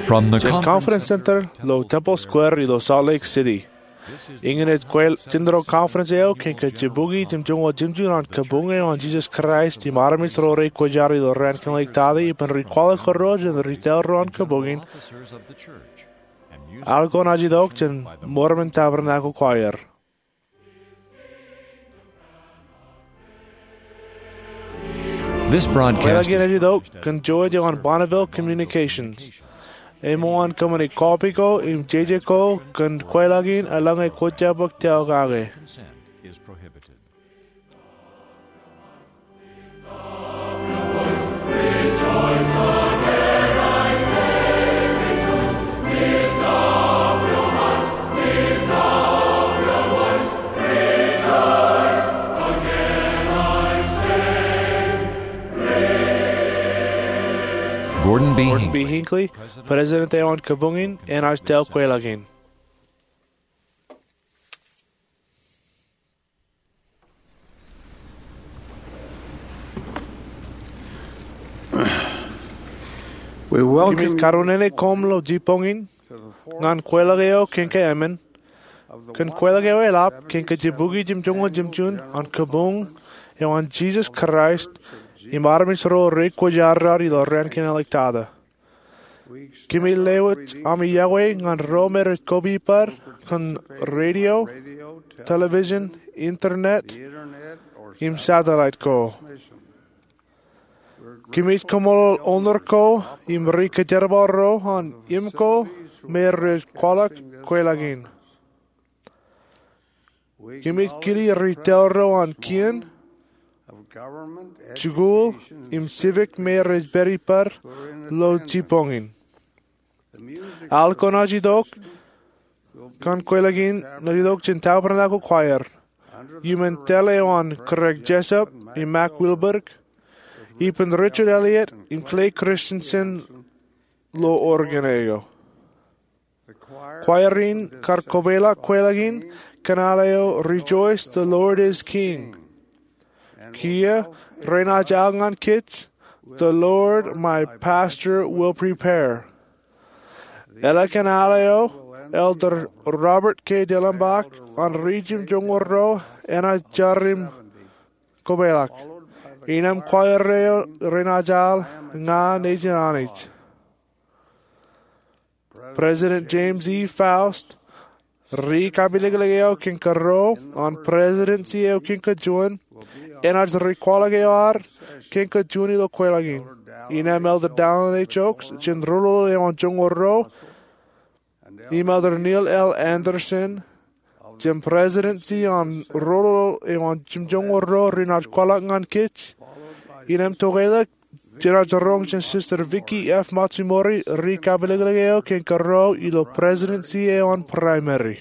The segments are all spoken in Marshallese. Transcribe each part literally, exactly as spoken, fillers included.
From the Conference Center ilo Temple Square ilo Salt Lake City. Eñin ej kwe-, jindro conference eo kōn ke jibukwi jimjuonñoul jimjuon an kabuñ eo an Jesus Christ im armej ro rej kwōjarjar ilo raan kein ḷọk tata ippān ri kwaḷọk ro jān ri taḷ ro an kabuñ in. Al ko naaj itok jān Mormon Tabernacle Choir. This broadcast Kwōḷak in ej itok kōn jouj eo an Bonneville Communications. Eṃṃan kōṃṃani kọpij ko im jeje ko kōn kwōḷak in eḷaññe kwōj jab bōk taokake. Gordon B. Gordon B. Hinckley, President eo an kabuñ in, enaaj tōl kwōḷak in. Kōmij karunnene koṃ ilo jibboñ in ñan kwōḷak eo kōn ke emān, kōn kwōḷak eo eḷap kōn ke jibukwi jimjuonñoul jimjuon an kabuñ eo an Jesus Christ im armej ro rej kwōjarjar ilo raan kein ḷọk tata. Kōmij lewōj ami iọkwe ñan ro me rej kopiper kōn radio, television, internet, im satellite ko. Kōmij kaṃṃoolol owner ko im ri kōjerbal ro an im ko me rej kwaḷọk kwōḷak in. Kōmij kili ri taḷ ro an kien, jikuuḷ, im civic me rej pād ippād ilo jibboñ in. Al ko naaj itok kōn kwōḷak in naaj itok jān Tabernacle Choir, iuṃwin taḷ eo an Craig Jessop im Mac Wilberg, ippān Richard Elliott im Clay Christensen ilo organ eo. Choir in kar kopeḷḷọk kwōḷak in kōn al eo Rejoice, the Lord is King. Kiiō renaaj al ñan kōj The Lord my pastor will prepare. Eḷak an al eo Elder Robert K. Dellenbach an ri jimjuonñoul ruo enaaj jar im kopeḷḷọk. Innām choir eo renaaj al Ña Nejin Anij. President James E. Faust, ri kapilōklōk eo kōn ke ruo an presidency eo kōn ke juon, enaaj ri kwaḷọk eo ad kōn ke juon ilo kwōḷak in. Innām Elder Dallin H. Oaks, jān roñoul eo an joñoul ruo, im Elder Neil L. Andersen, jān presidency an roñoul eo an jimjuonñoul ruo renaaj kwaḷọk ñan kōj. Innām tokeḷọk jenaaj roñ jān Sister Vicky F. Matsumori, ri kapilōklōk eo kōn ke ruo ilo presidency eo an primary.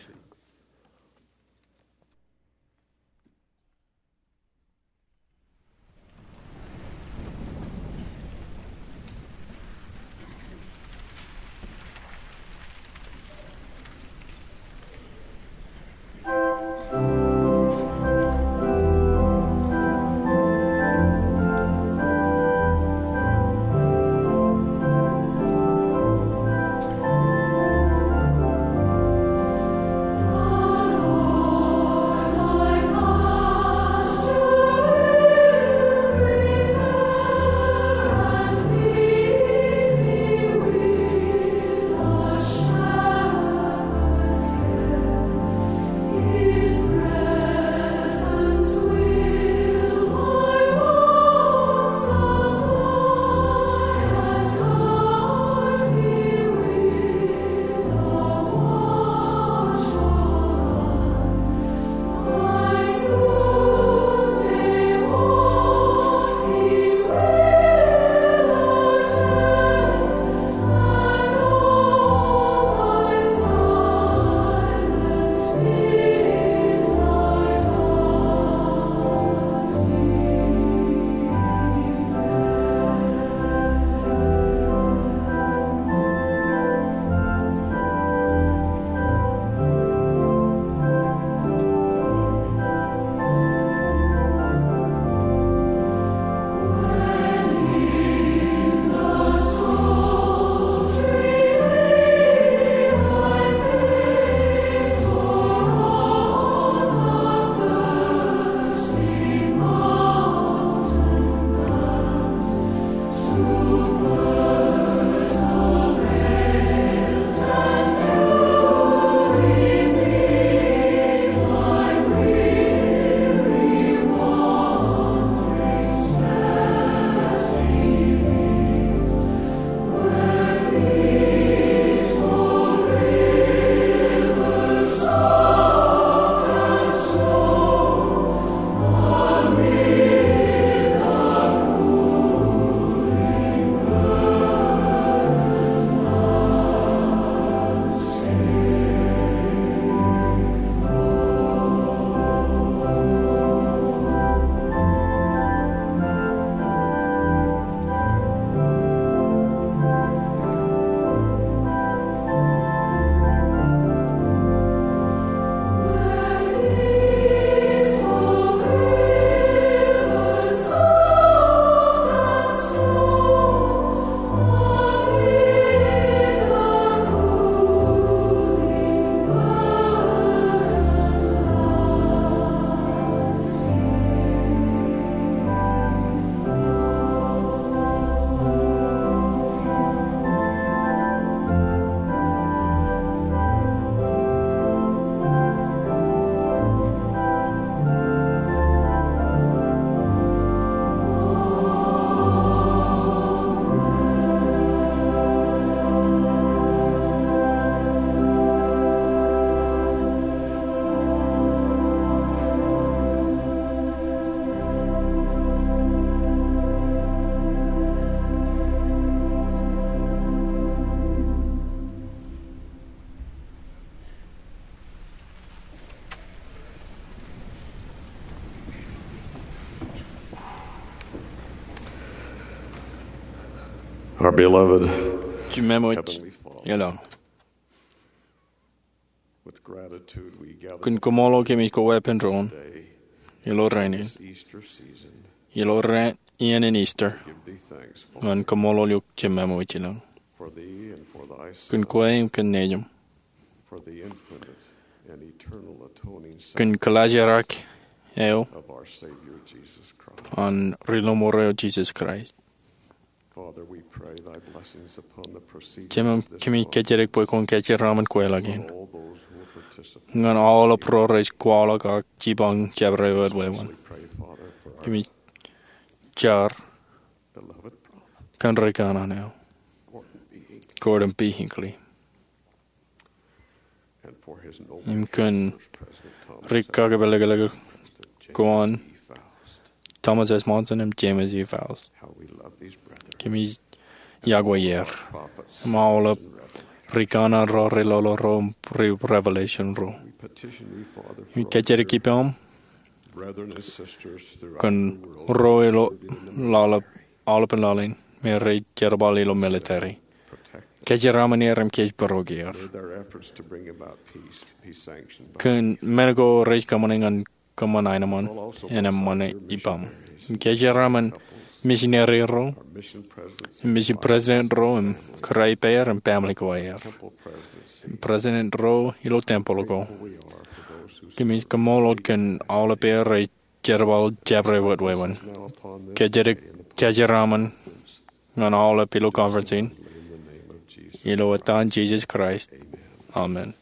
Our beloved Jememwōj Heavenly Father, ilọk. With gratitude we gather Kōn kaṃṃoolol kōmij koweepen doon today, ilo rainin, this Easter season, ilo raan iien in Easter, give thee thanks for ñan kaṃṃoolol eok Jememwōj ilọk. For thee and for thy Kōn Son, kwe im kōn Nejiṃ. For the infinite and eternal atoning Kōn sacrifice kilaajrak eo of our Savior Jesus Christ. An Ri-lọmọọr eo Jisōs Kraist. Father, we pray thy blessings upon the proceedings Jemem, of this kōmij conference. Kōjjedik bwe kwōn kajeraṃṃan kweilọk in. All those who will participate. Ñan aolep ro rej kwaḷọk ak jipañ jabdewōt wāween. Especially pray, Father, for our Kōmij jar beloved brother, kōn ri kanaan eo, Gordon B. Hinckley. Gordon B. Hinckley. And for his noble Im kōn church, President Thomas ri S. kakepelōklōk Monson, ko an James E. Faust. Thomas S. Monson im James E. Faust. How we love these brethren. Kōmij iọkwe er. Prophets and revelation. Im aolep ri kanaan ro, ri lolo ro, ri revelation ro. We petition thee, Father, for our kajjedik ippām brethren and sisters throughout the world kōn ro ilo aolep, aolepān laḷ in me rej jerbal ilo military. Protect. Kajeraṃṃan er im kōjparok er. May their efforts to bring about peace be sanctioned by Kōn men ko rej kōṃṃane ñan kōṃṃan aenōṃṃan en eṃṃan ippām. Im kajeraṃṃan misineri ro, mission president ro im kōrā ippāer im family ko aer, president ro ilo tempel ko. Kōmij kaṃṃoolol kōn aolep er rej jerbal jabdewōt wāween. Kajjedik kajeraṃṃan ñan aolep ilo conference in, ilo etan Jisōs Kraist, amen.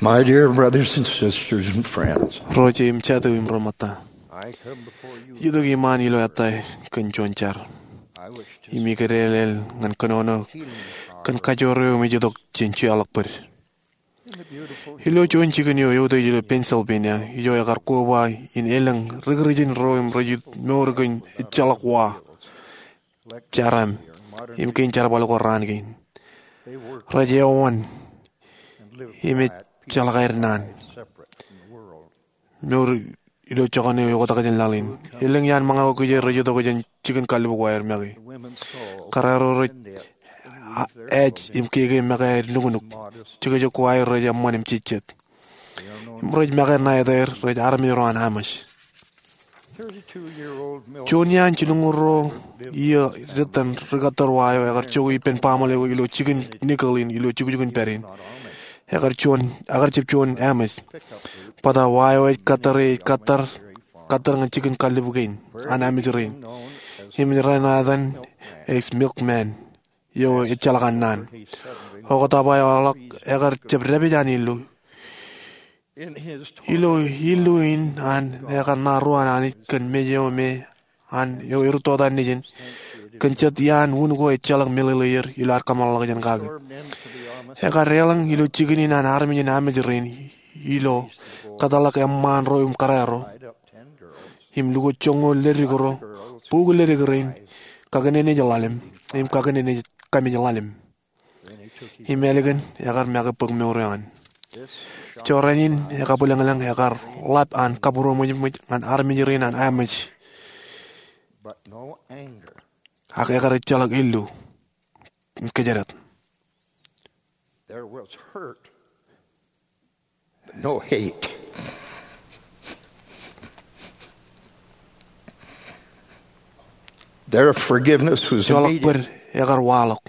My dear brothers and sisters and friends, Ro jeiū im jatū im ro ṃōtta, I come before you. Itok iṃaan ilo ettā kōn juon jar. I wish to im ikōḷḷāḷḷaḷ ñan kōnono kōn kajoor eo im ej itok jān jeorḷọk bōd. Ilo juon jikin eo eutiej ilo Pennsylvania, ijo ekar koba in elōñ rikrijin ro im rej mour kōn ejjeḷọk wa, jaram, im kein jerbal ko raan kein. Rej eoon im ejjeḷọk aer naan. Mour ilo jokane eo oktak jān laḷ in. Elōñ iaan ṃōñā ko kijeer rej itok jān jikin kallib ko aer make. Kōrā ro rej ej im keke make aer nuknuk. Jekjek ko aer rej eṃṃan im jejjet. Im rej make ṇa etaer rej armej ro an Amish. Juon iaan jilñuul ruo iiō dettan rikattor wa eo ekar jokwe ippān baaṃle eo ilo jikin Nickel in ilo jukjuk in pād in. Ekar juon, ekar jab juon Amish. Bōtab wa eo ej kattare ej kattare, kattare ñan jikin kallib kein an Amish rein. Im rej ṇa etan es Milkman, eo ejjeḷọk an naan. Oktak eo aolep ekar jab dāpij an illu. Ilo illu in an ekar ṇa ruo an Anij kōn mej eo me an eo erūttotan nejin, kōn jet iaan wūn ko ejjeḷọk meḷeḷeier ilo ad kōmeḷeḷeḷọk jān kake. Ekar deḷọñ ilo jikin in an armej in Amish rein ilo kōtḷọk eṃṃaan ro im kōrā ro im lukkuun joñoul ledik ro, bukwi ledik rein, kakineneej ḷalem im kakineneej kamej ḷalem. Im ālikin ekar make bōk mour eo an. Jorrāān in ekabwilōñlōñ ekar ḷap an kabūroṃōjṃōj ñan armej rein an Amish. Ak ekar ejjeḷọk illu im kōjdat. There was hurt, but no hate. Their forgiveness was immediate. Jeorḷọk bōd ekar waḷọk.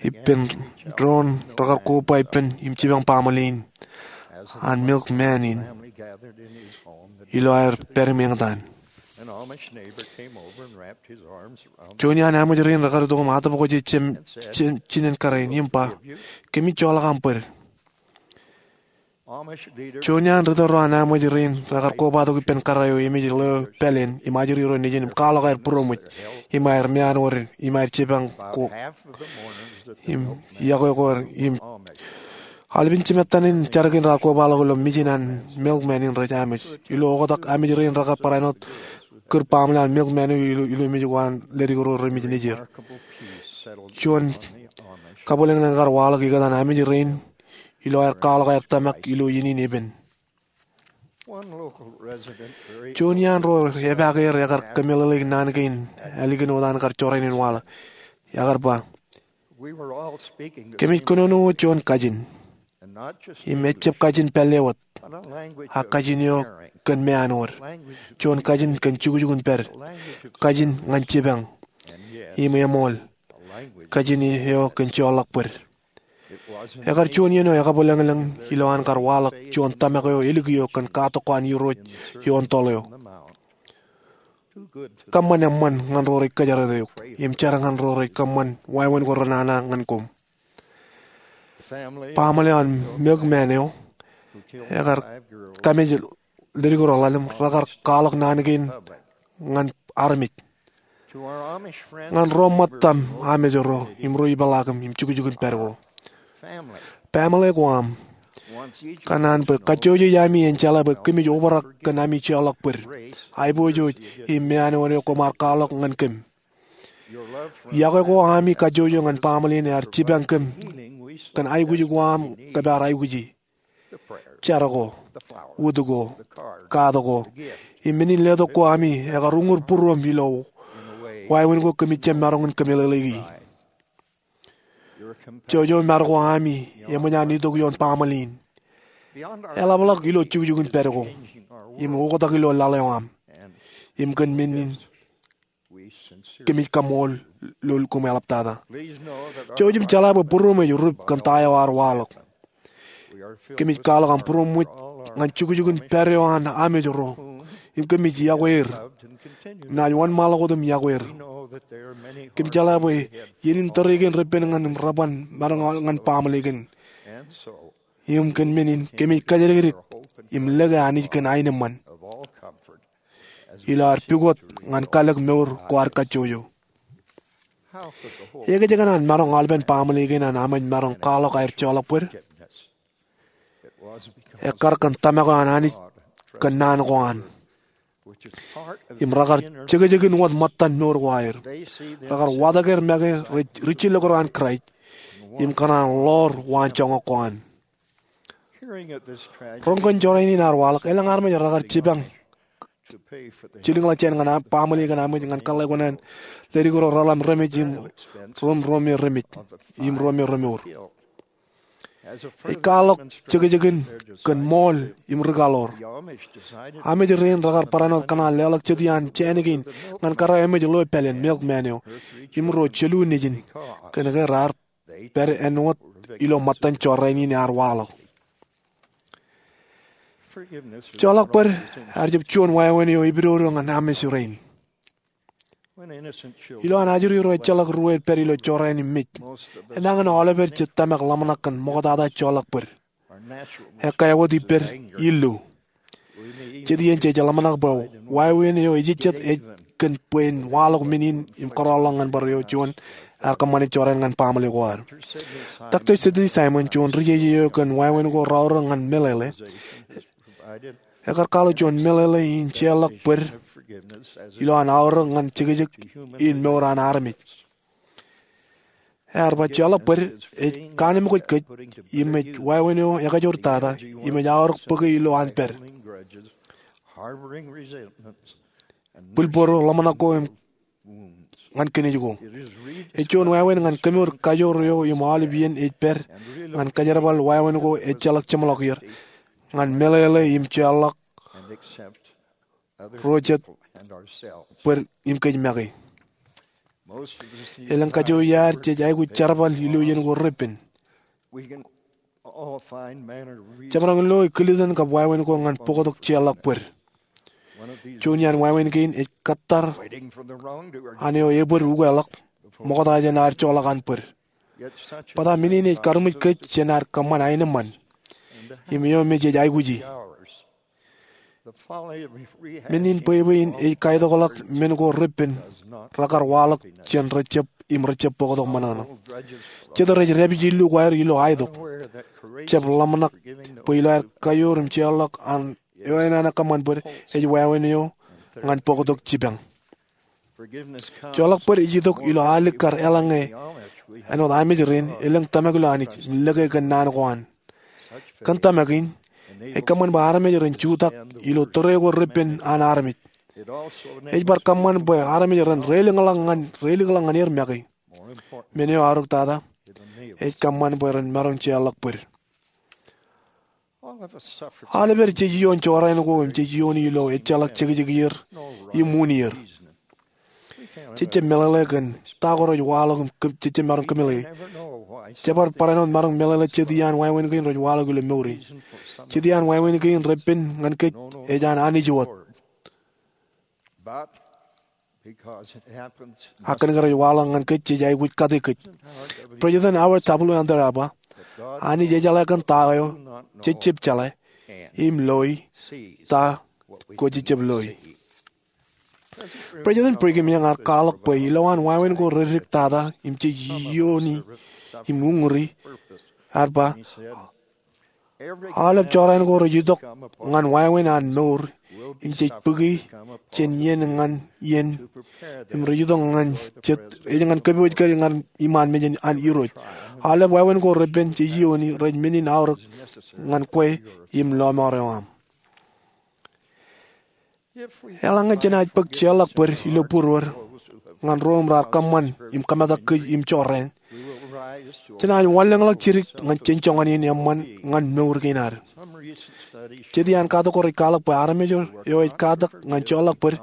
Ippān doon rekar koba ippān im jipañ baaṃle in an Milkman in ilo aer pād im eñtaan. Juon iaan Amish rein rekar itok im atōpkōj ijjab jinen kōrā in im ba, "Kōmij joḷọk aṃ bōd." Juon iaan ritōl ro an Amish rein rekar kobatok ippān kōrā eo emej ḷeo pāleen im ajri ro nejin im kwaḷọk aer būroṃōj im aer meanwōd im aer jipañ ko im iọkwe ko im aolepān jimettan in jar kein raar kobaḷọk ilo mejin an Milkman in rej Amish. Ilo oktak Amish rein rekar barāinwōt kūr baaṃle an Milkman eo ilo, ilo mej ko an ledik ro remej nejier. Juon kabwilōñlōñ ekar waḷọk ikōtaan Amish rein ilo aer kwaḷọk aer tōmak ilo iien in epen. Juon iaan ro epaake er ekar kōmeḷeḷeik naan kein ālikin wōt an kar jorrāān in waḷọk. Ekar ba, "Kōmij kōnono juon kajin. Im ejjab kajin pālle wōt, ak kajin eo kōn meanwōd. Juon kajin kōn jukjukun pād. Kajin ñan jipañ. Im eṃool. Kajin eo kōn jeorḷọk bōd." Ekar juon iien eo ekabwilōñlōñ ilo an kar waḷọk juon tōmak eo elikio kōn katak ko an Irooj ioon toḷ eo. Kōṃṃan eṃṃan ñan ro rej kōjatdikdik eok, im jar ñan ro rej kōṃṃan wāween ko renana ñan koṃ. Baaṃle an Milkman eo ekar kamej ledik ro ḷalem rekar kwaḷọk naan kein ñan armej. Ñan ro ṃōttaṃ Amish ro im ro ipeḷaakiṃ im jukjukun pād ko, baaṃle ko aṃ, kōṇaan bwe kajjojo ami en jeḷā bwe kōmij obrak kōn ami jeorḷọk bōd, aiboojoj im meanwōd eo koṃ ar kwaḷọk ñan kōm. Iọkwe ko ami kajjojo ñan baaṃle in ear jipañ kōm kōn aikuj ko aṃ kōm ar aikuji. Jar ko, wūt ko, kaat ko, im men in letok ko ami ekar uñūr būruōm ilo wāween ko kōmij jab maroñ in kōmeḷeḷeiki. Jouj im mar ko ami eṃōj an itok ioon baaṃle in, eḷapḷọk ilo jukjukun pād ko im oktak ilo laḷ eo aṃ, im kōn men in kōmij kaṃṃoolol koṃ eḷaptata. Jouj im jeḷā bwe būruōm ej rup kōn ta eo ear waḷọk. Kōmij kwaḷọk aṃ būroṃōj ñan jukjukun pād eo an Amish ro, im kōmij iọkwe er. Naaj wōnṃaanḷọk wōt im iọkwe er. Kōmij jeḷā bwe iien in tōre kein repen ñan im reban maroñ ñan baaṃle kein. im kōn men in kōmij kajjidikdik im lōke Anij kōn aenōṃṃan ilo ad pukot ñan kalōk mour ko ad kajjojo. Ekōjkan an maroñ aolepen baaṃle kein an amwōj maroñ kwaḷọk aer joḷọk bōd? Ekkar kōn tōmak eo an Anij kōn naan ko an. Im rekar jekjekin wōt ṃōttan mour ko aer. Rekar watōk er make ri-, rijjilōk ro an Kraist im kōṇaan ḷoor waanjoñak ko an. Roñ kōn jorrāān in ear waḷọk, elōñ armej rekar jipañ jilkinḷọk jān ñan baaṃle kōn amwōj ñan kōḷḷā ko an ledik ro reḷap remej im ruo, ruo me remej im ruo me remour. Ej kwaḷọk jekjekin kōn ṃool im ri-kaḷoor. Amwōj rein rekar barāinwōt kōṇaan leḷọk jet iaan jāān kein ñan kōrā emwōj ḷeo pāleen milkman eo im ruo jelū nejin kōn ke raar pād āinwōt ilo ṃōttan jorrāān in ear waḷọk. Joḷọk bōd ear jab juon wāween eo epidodo ñan amwōj rein. Ilo an ajri ro ejjeḷọk ruo ej pād ilo jorrāān im mej, enañin aolepād jej tōmak ḷōmṇak kōn ṃoktata joḷọk bōd. Ekkā wōt ippād illu. Jet iien jej ḷōmṇak bwe wāween eo ejejjet ej kōn bwe en waḷọk men in im kōrọọlḷọk ñan bar eo juon ear kōṃṃane jorrāān ñan baaṃle ko ad. Doctor Sidney Simon, juon ri-jeje eo kōn wāween ko raorōk ñan meḷeḷe, ekar kwaḷọk juon meḷeḷe in jeorḷọk bōd ilo an aorōk ñan jekjek in mour an armej. Ear ba jeorḷọk bōd ej kaanemkwōj kōj im ej wāween eo ekajoor tata im ej aorōk bōke ilo an pād. Bwilbōro ḷōmṇak ko im ñan kinej ko. Ej juon wāween ñan kemour kajoor eo im aolep iien ej pād ñan kajerbal wāween ko ejjeḷọk jeṃḷọk er ñan meḷeḷe im jeorḷọk ro jet bōd im kōj make. Elōñ kajoiar jej aikuj jerbal ilo iien ko repen. Jemaroñ lo ej kiliten kab wāween ko ñan bōktok jeorḷọk bōd. Juon iaan wāween kein ej kōttar an eo ebōd ukeḷọk ṃokta jān ad joḷọk an bōd. Bōtab men in ej karuṃwij kōj jān ad kōṃṃan aenōṃṃan im eo me jej aikuji. Men in bwebwe in ej kaitokḷọk men ko repen rekar waḷọk jān rejjab im rejjab bōktok ṃōṇōṇō. Jet rej dāpij illu ko aer ilo aetok, jab ḷōmṇak bwe ilo aer kajoor im jeorḷọk an eo enañin kōṃṃan bōd ej wāween eo ñan bōktok jipañ. Joḷọk bōd ej itok ilo alikkar eḷaññe āinwōt amwōj rein elōñ tōmak ilo Anij im lōke kōn naan ko an. Kōn tōmak in, ej kōṃṃan bwe armej ren jutak ilo tōre ko repen an armej. Ej bar kōṃṃan bwe armej ren reilikḷọk ñan, reilikḷọk ñan er make. Men eo eaorōk tata, ej kōṃṃan bwe ren maroñ jeorḷọk bōd. Aolepād jej ioon jorrāān ko im jej iooni ilo ejjeḷọk jekjekier im uññier. Jejjab meḷeḷe kōn ta ko rej waḷọk im kōm-, jejjab maroñ kōmeḷeḷe. Jebar barāinwōt maroñ meḷeḷe jet iaan wāween kein rej waḷọk ilo mour in. Jet iaan wāween kein repen ñan kōj ej an Anij wōt. Ak kōn ke rej waḷọk ñan kōj jej aikuj kate kōj. President Howard W. Hunter ear ba, Anij ejeḷā kōn ta eo jejjab jeḷā, im loi ta ko jejjab loi. President Brigham Young ear kwaḷọk bwe ilowaan wāween ko reddik tata im jej iooni im uññūri, ear ba, aolep jorrāān ko rej itok ñan wāween an mour im jej bōki jān iien ñan iien im rej itok ñan jet ej ñan kōpooj kōj ñan iṃaan mejān an Irooj. Aolep wāween ko repen jej iooni rej men in aorōk ñan kwe im lọmọọr eo aṃ. Eḷaññe jenaaj bōk jeorḷọk bōd ilo būruod ñan ro im raar kōṃṃan im kōmetak kōj im jorrāān, jenaaj wanlōñḷọk jidik ñan jān joñan in eṃṃan ñan mour kein ad. Jet iaan katak ko rej kwaḷọk bwe armej eo ej katak ñan jeorḷọk bōd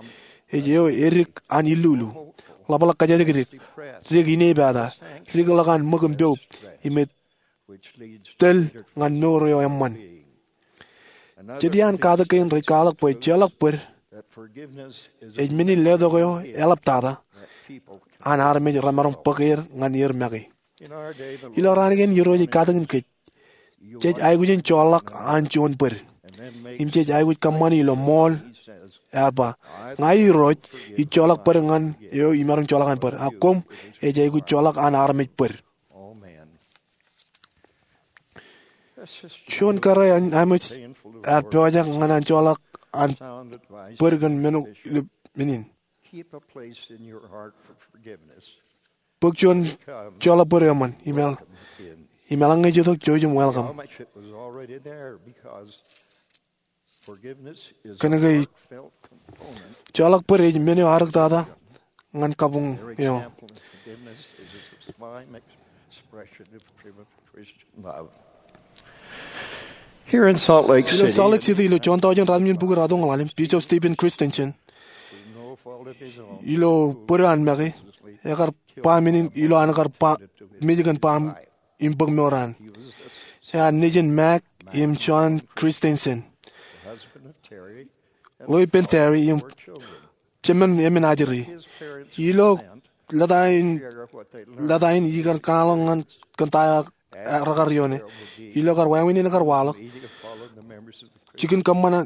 ej eo edik an illulu, ḷapḷọk kōjatdikdik, dik inepata, dikḷọk an ṃōk im poub, im ej tōl ñan mour eo eṃṃan. Jet iaan katak kein rej kwaḷọk bwe jeorḷọk bōd ej men in letok eo eḷaptata an armej remaroñ bōk er ñan er make. Ilo raan kein Irooj ej katakin kōj. jej aikuj in joḷọk an juon bōd. Im jej aikuj kōṃṃani ilo ṃool, ear ba, ña Irooj, ij joḷọk bōd ñan eo imaroñ joḷọk an bōd. Ak koṃ, ej aikuj joḷọk an armej bōd. Juon kōrā in Amish ear pojak ñan an joḷọk an bōd kōn men ko ilo men in. Bōk juon joḷọk bōd eṃṃan, im eḷaññe ej itok, jouj im welcome. Kōnke joḷọk bōd ej men eo ear riktata ñan kabuñ eo. Ilo Salt Lake City, ilo juon taujin ratimjuon bukwi ratonñoul ḷalem, Bishop Stephen Christensen, ilo bōd eo an make, ekar ba men in ilo an kar ba, mej kōn baṃ im bōk mour an. Ear nejin Mac im John Christensen, ḷeo ippān Terri im jemān emān ajri. Ilo lōta in, lōta in ikar kōṇaan ñan kōn ta eo rekar ioone. Ilo kar wāween in ekar waḷọk, jikin kōṃṃan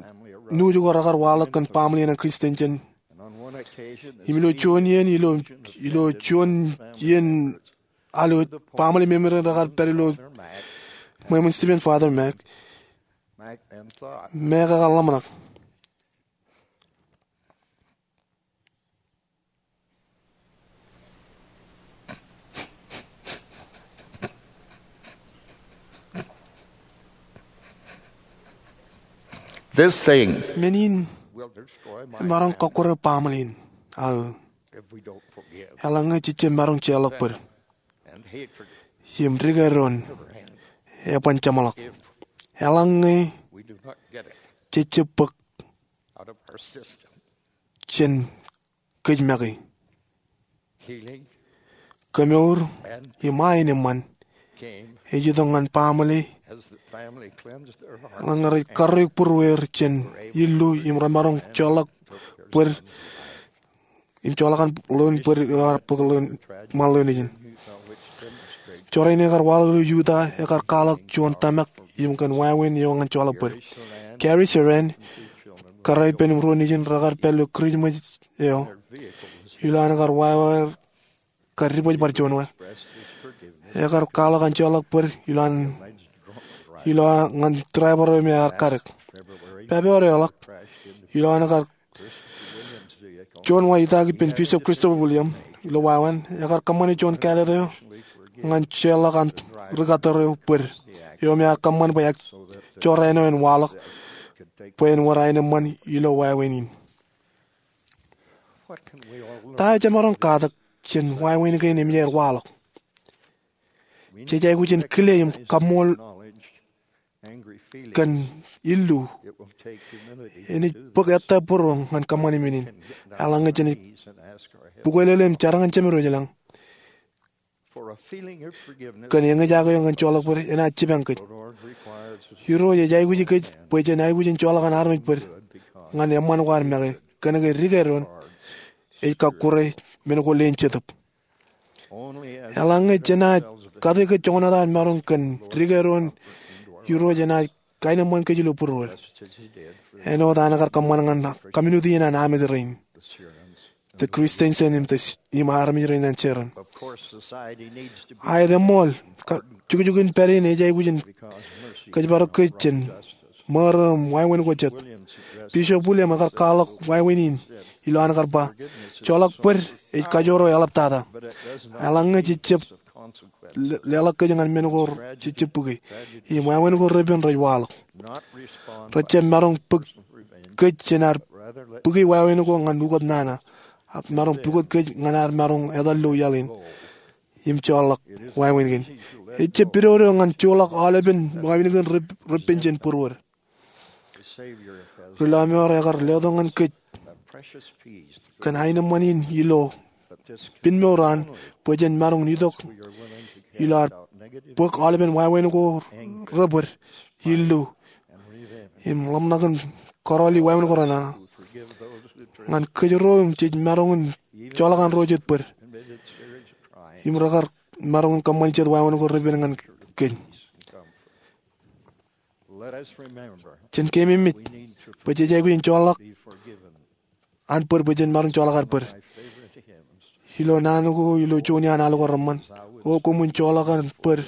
nuuj ko rekar waḷọk kōn baaṃle in an Christensen. Im ilo juon iien, ilo, ilo juon iien alwōj, baaṃle memerein rekar pād ilo ṃweo in Stephen, Father Mac. Mac ekar ḷōmṇak. This thing Men in will destroy my emaroñ kọkkure baaṃle in aō, if we don't forgive. Eḷaññe jejjab maroñ jeorḷọk bōd. And hatred im dikedoon eban jeṃḷọk. Eḷaññe we do not get it jejjab bōk out of our system. Jān kōj make. Healing Kemour and im aenōṃṃan came ej itok ñan baaṃle as the family cleansed their hearts. Eḷaññe rej karreoik būrueir jān illu im remaroñ joḷọk bōd im joḷọk an ḷoon bōd eo ear bōk ḷoon ṃaan ḷoon ijin. Jorrāān in ekar waḷọk ilo Utah ekar kwaḷọk juon tōmak im kōn wāween eo ñan joḷọk bōd. Gary Sharan, kōrā ippān im ruo nejin, rekar pād ilo Kūrijṃōj eo ilo an kar wāween kar dibōjbar juon wā. Ekar kwaḷọk an joḷọk bōd ilo an, ilo ñan driver eo me ear kadek. February eḷap, ilo an kar juon wā itaak ippān Bishop Christopher Williams ilo wāween, ekar kōṃṃane juon kāālōt eo ñan jeorḷọk an rikattōr eo bōd eo me ear kōṃṃan bwe ekjorrāān eo en waḷọk bwe en wōr aenōṃṃan ilo wāween in. Ta eo jemaroñ katak jān wāween kein eṃōj aer waḷọk? Jej aikuj in kile im kaṃṃool kōn illu. Enaaj bōk ettā būruōṃ ñan kōṃṃani men in. Eḷaññe jenaaj bukwe lele im jar ñan Jemedwōj lañ kōn eñjake eo ñan joḷọk bōd, enaaj jipañ kōj. Irooj ej aikuji kōj bwe jen aikuj in joḷọk an armej bōd ñan eṃṃan ko ad make, kōnke dikedoon ej kọkkure men ko leen Jetōb. Eḷaññe jenaaj kate kōj joñan ad maroñ kōn dikedoon, Irooj enaaj kaenōṃṃan kōj ilo būruod, āinwōt an kar kōṃṃan ñan community in an Amish rein, the Christensen im the, im armej rein an Sharon. Aet eṃṃool, jukjukin pād in ej aikuj in kōjparok kōj jān ṃōro im wāween ko jet. Bishop Williams ekar kwaḷọk wāween in ilo an kar ba, joḷọk bōd ej kajoor eo eḷaptata. Eḷaññe jejjab le-, leḷọk kōj ñan men ko rejjab bukwi, im wāween ko repen rej waḷọk. Rejjab maroñ bōk kōj jān ad bukwi wāween ko ñan ukōt nana, ak maroñ pukot kōj ñan ad maroñ etal ilo iaḷ in im joḷọk wāween kein. Ejjab pidodo ñan joḷọk aolepen wāween kein rep-, repen jān būruod. Ri-lọmọọr ekar letok ñan kōj kōn aenōṃṃan in ilo pinmour an bwe jen maroñ itok ilo ad bōk aolepen wāween ko rebōd, illu, im ḷōmṇak in kōrọọli wāween ko renana ñan kōjro im jej maroñ in joḷọk an ro jet bōd im rekar maroñ in kōṃṃani jet wāween ko repen ñan kōj. Jen keememej bwe jej aikuj in joḷọk an bōd bwe jen maroñ joḷọk ad bōd. Ilo naan ko, ilo juon iaan al ko reṃṃan, O koṃwin joḷọk an bōd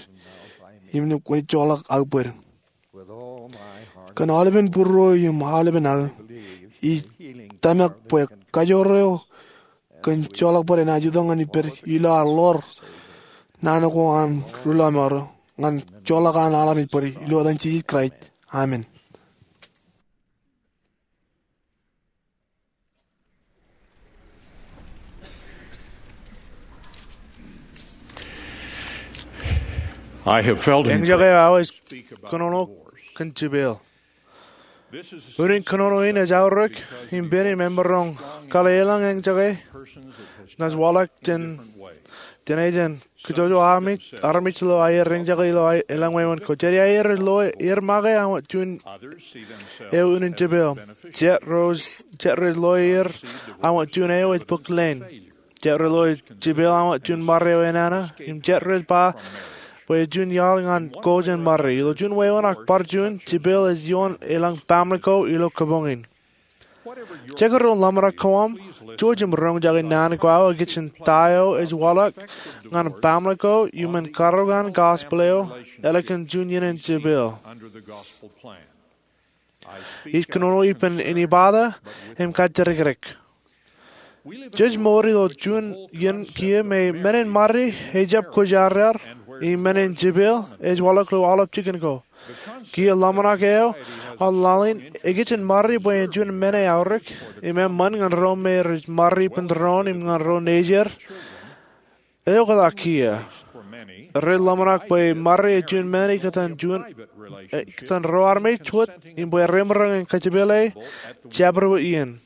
im kwōnaaj joḷọk aō bōd. Kōn aolepen būruō im aolepen aō, ij tōmak bwe kajoor eo kōn joḷọk bōd enaaj itok ñan ippād ilo ad ḷoor naan ko an ri lọmọọr eo ñan joḷọk an aolep bōd, ilo etan Jisōs Kraist. Amen. I have felt Eñjake aō ej kōnono kōn jepel. Unin kōnono in ej aorōk im pen im emaroñ kōḷḷā eḷaññe eñjake naaj waḷọk jān, jān ejān kōjwōj armej, armej ilo aer eñjake ilo aer, elōñ wāween ko. Jet aer ilo aer make aṃ wōt juon eo unin jepel. Jet rej, jet rej lo aer aṃ wōt juon eo ej bōk leen. Jet rej lo jepel aṃ wōt juon ṃare eo enana, im jet rej ba bwe ej juon iaḷ ñan ko jān ṃare. Ilo juon wāween ak bar juon, jepel ej ioon elōñ baaṃle ko ilo kabuñ in. Jekdọọn ḷōmṇak ko aṃ, jouj im roñjake naan ko aō ikijjien ta eo ej waḷọk ñan baaṃle ko iuṃwin karukan gospel eo ālikin juon iien in jepel. Ij kōnono ippān inepata im kajjidikdik. Jej mour ilo juon iien kiiō me men in ṃare ejjab kwōjarjar, im men in jepel ej waḷọk ilo aolep jikin ko. Kiiō ḷōmṇak eo an laḷ in, ikijjien ṃare bwe en juon men eo aorōk im eṃṃan ñan ro me rej ṃare ippān doon im ñan ro nejier. Eoktak kiiō. Rej ḷōmṇak bwe ṃare ej juon men ikōtaan juon, eh, ikōtaan ro armej wōt im bwe remaroñ in kajepele jabdewōt iien.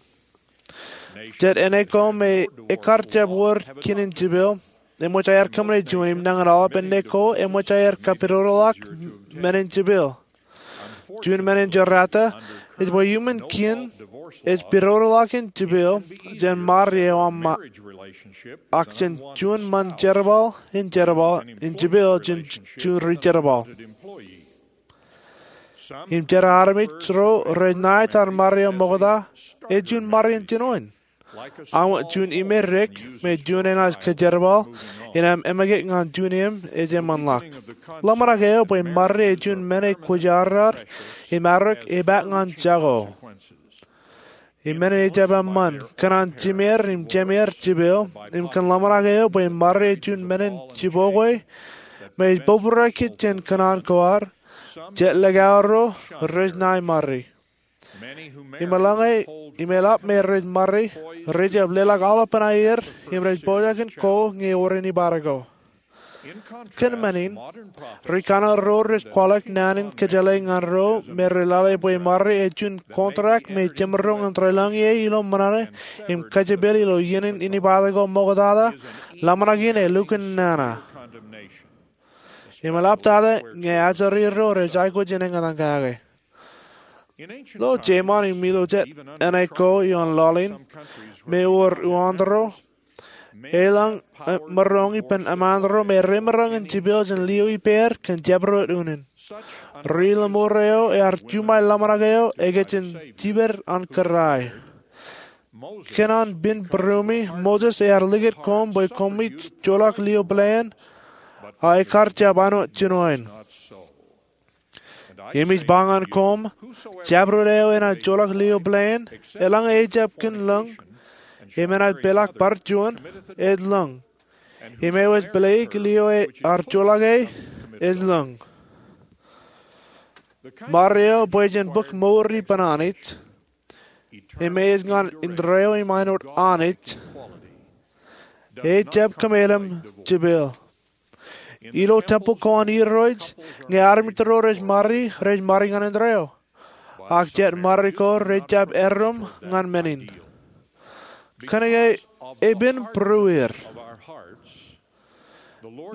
Jet āne ko me ekar jab wōr kien in jepel, eṃōj aer kōṃṃane juon im nañin aolep āne ko eṃōj aer kapidodoḷọk men in jepel. Juon men in jerata ej bwe iuṃwin kien ej pidodoḷọk in jepel jān ṃare eo aṃ ṃa, ak jān juon ṃōn jerbal in jerbal in jepel jān juon ri-jerbal. Im jet armej ro rej ṇa etan ṃare eo ṃokta, ej juon ṃare in jinoin. Aṃ wōt juon imedik me juon enaaj kajerbal, im emekik ñan juon im ej eṃṃanḷọk. Ḷōmṇak eo bwe ṃare ej juon men eo kwōjarjar im arōk epaak ñan jako. Im men in ejjab eṃṃan, kōṇaan jimeer im jemeer jepel, im kōn ḷōmṇak eo bwe ṃare ej juon men in jibokwe me ej bōbrae kōj jān kōṇaan ko ad, jet likao ro rej ṇae ṃare. Im eḷaññe, im eḷap me rej ṃare, rej jab leḷọk aolepān aer im rej pojak in ko ñe ewōr inepata ko. Kōn men in, ri-Kanaan ro rej kwaḷọk naan in kōjeḷā ñan ro me rej lale bwe ṃare ej juon contract me jemaroñ in deḷọñ ie ilo ṃōṇōṇō im kajepel ilo iien in inepata ko ṃoktata, ḷōmṇak in elukkuun nana. Im eḷaptata ñe ajri ro rej aikuj in eñtaan kake. Ilo Jemān im ilo jet āne ko ioon laḷ in, me ewōr uwaantōro, elōñ, eh, maroñ ippān eṃaanto me remaroñ in jepel jān lio ippāer kōn jabdewōt unin. Ri-lōṃoor eo ear juṃae ḷōmṇak eo ikijjien jiped an kōrā. Kōn an pen būruemi, Moses ear likūt koṃ bwe koṃij joḷọk lio pāleen, a ekar jab anwōt jinoin. Im ij ba ñan koṃ, jabdewōt eo enaaj joḷọk lio pāleen, eḷaññe ejjab kōn lōñ, im enaaj peḷḷọk bar juon, ej lōñ. Im eo ej pāleik lio ear joḷọk e, ej lōñ. Ṃare eo bwe jen bōk mour ippān Anij, im ej ñan indeeo im āinwōt Anij, ejjab kōmeḷeḷe jepel. Ilo tempeḷ ko an Irooj, ñe armej ro rej ṃare, rej ṃare ñan indeeo. Ak jet ṃare ko rejjab erom ñan men in. Kōnke epen būrueir,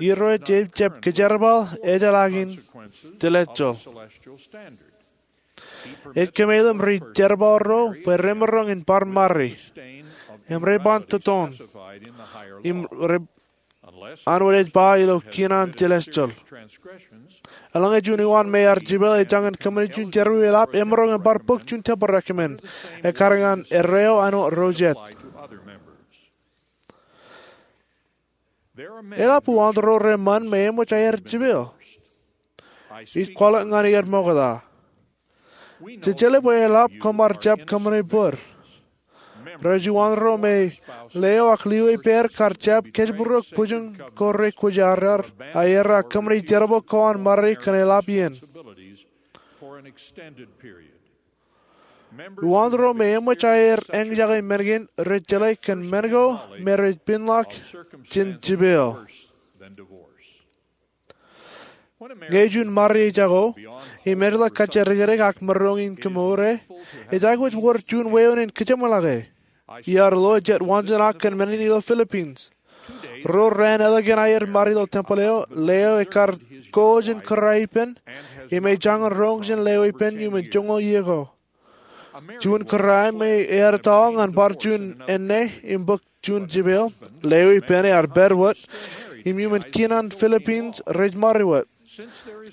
Irooj ejjab kōjerbal ejeḷā in telesjal. Ej kōmeḷeḷe ri-jerbal ro bwe remaroñ in bar ṃare, im reban totoon, im re, āinwōt ej ba ilo kien an telesjal. Eḷaññe juon uwaan me ear jepel ej jañin kōṃṃani juon jerọwiwi eḷap, emaroñ im bar bōk juon temporary recommend ekkar ñan erreo āinwōt ro jet. Eḷap uwaantro reṃṃan me eṃōj aer jepel. Ij kwaḷọk ñan er ṃokta. Jej jeḷā bwe eḷap koṃ ar jab kōṃṃane bōd. Rej uwaantro me leo ak lio ippāer kar jab kōjparok bwijin ko re kwōjarjar, a er a kōṃṃane jerbal ko an ṃare kōn eḷap iien. Uwaantro me eṃōj aer eñjake men kein rej jeḷā kōn men ko me rej piinḷọk jān jepel. Ñe juon ṃare ej jako im eḷak kajjidikdik ak maroñ in kemour e, ej aikuj wōr juon wāween in kōjeṃḷọke. Iar lo jet waanjoñak kōn men in ilo Philippines. Ruo raan ālikin aer ṃare ilo tempeḷ eo, leo ekar ko jān kōrā ippān im ej jañin roñ jān leo ippān iuṃwin joñoul iiō ko. Juon kōrā me ear ettoḷọk ñan bar juon enne im bōk juon jepel, leo ippān ear pād wōt im iuṃwin kien an Philippines rej ṃare wōt.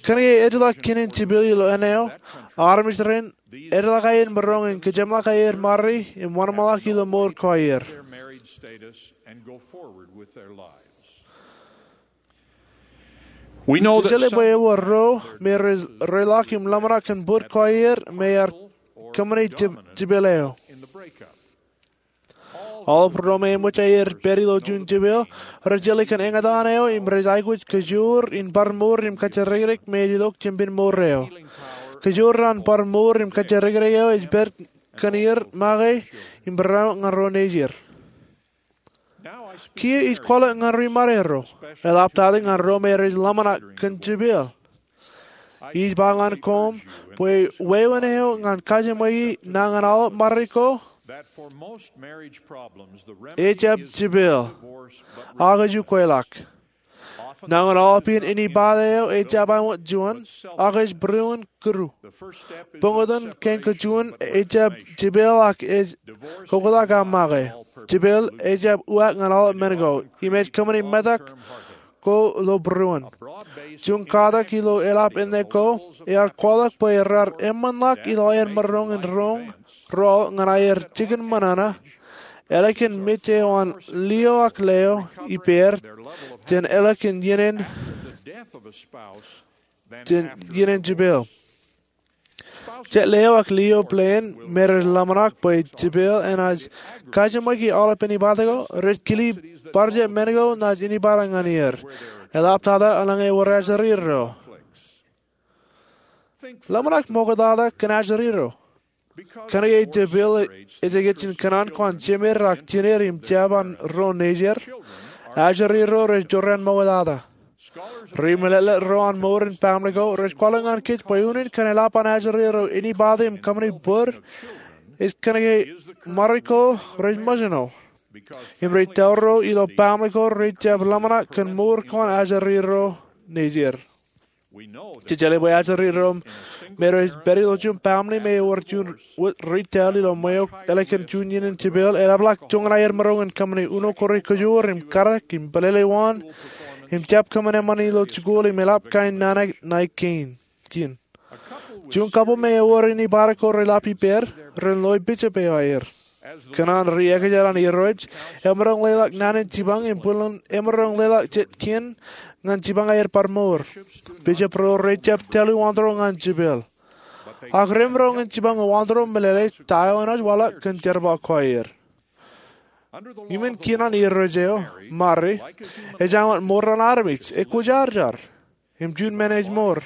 Kōnke ejjeḷọk kien in jepel ilo enne eo, armej rein ejjeḷọk aer maroñ in kōjeṃḷọk aer ṃare im wōnṃaanḷọk ilo mour ko aer. Ij jeḷā bwe ewōr ro me rej reḷọk im ḷōmṇak kōn bōd ko aer me ear kōṃṃane jepel eo. Aolep ro me eṃōj aer pād ilo juon jepel rej jeḷā kōn eñtaan eo im rej aikuj kōjoor in bar mour im kajjidikdik me ej itok jān ippān mour eo. Kōjoor an bar mour im kajjidikdik eo ej pād kōn er make im barāinwōt ñan ro nejier. Kiiō ij kwaḷọk ñan ri ṃadeiro, eḷaptata ñan ro me rej ḷōmṇak kōn jepel. Ij ba ñan koṃ bwe wāween eo ñan kajeṃwe e ñan aolep ṃare ko ejjab jepel, ak ej ukweḷọk. Ñan aolep iien, inepata eo ejjab āinwōt juon, ak ej būruon kūru. Bōktoon kein kōjuon ejjab jepel ak ej koktak aō make. Jepel ejjab uwaak ñan aolep men ko im ej kōṃṃane metak ko ilo būruon. Juon katak ilo eḷap enne ko ear kwaḷọk bwe raar eṃṃanḷọk ilo aer maroñ in roñ ro ñan aer jikin ṃōṇōṇō ālikin mej eo an lio ak leo ippāer jān ālikin iien in jān iien in jepel. Jet leo ak lio plān me rej ḷōmṇak bwe jepel enaaj kajeṃweki aolepān inepata ko rej kile bar jab men ko naaj inepata ñan er. Eḷaptata eḷaññe ewōr ajri ro. Ḷōmṇak ṃoktata kōn ajri ro. Kōnke jepel ej ejjeḷọk kōṇaan ko an jemed ak jined im jab an ro nejier, ajri ro rej jorrāān ṃoktata. Ri-meḷeḷe ro an mour in baaṃle ko rej kwaḷọk ñan kōj bwe unin kōn eḷap an ajri ro inepata im kōṃṃane bōd ej kōnke ṃare ko rej ṃōjṇọ im rej tōl ro ilo baaṃle ko rej jab ḷōmṇak kōn mour ko an ajri ro nejier. Jej jeḷā bwe ajri ro me rej pād ilo juon baaṃle me ewōr juon wōt retail ilo ṃweo ālikin juon iien in jepel eḷapḷọk joñan aer maroñ in kōṃṃane uno ko re kōjoor im kadak im pelele waan im jab kōṃṃan eṃṃan ilo jikuuḷ im eḷap kain nana ṇae kein. Juon couple me ewōr inepata ko reḷap ippāer ren loe bishop eo aer. Kōn an ri-ekjān an Irooj, emaroñ leḷọk naan in jipañ im bwilin emaroñ leḷọk jet kien ñan jipañ aer bar mour. Bishop ro rej jab tōl uwaantro ñan jepel. Ak remaroñ in jipañ uwaantro meḷeḷe ta eo enaaj waḷọk kōn jerbal ko aer. Iuṃwin kien an Irooj eo, Mari, ej āinwōt mour an armej, ekwōjarjar. Im juon men ej mour,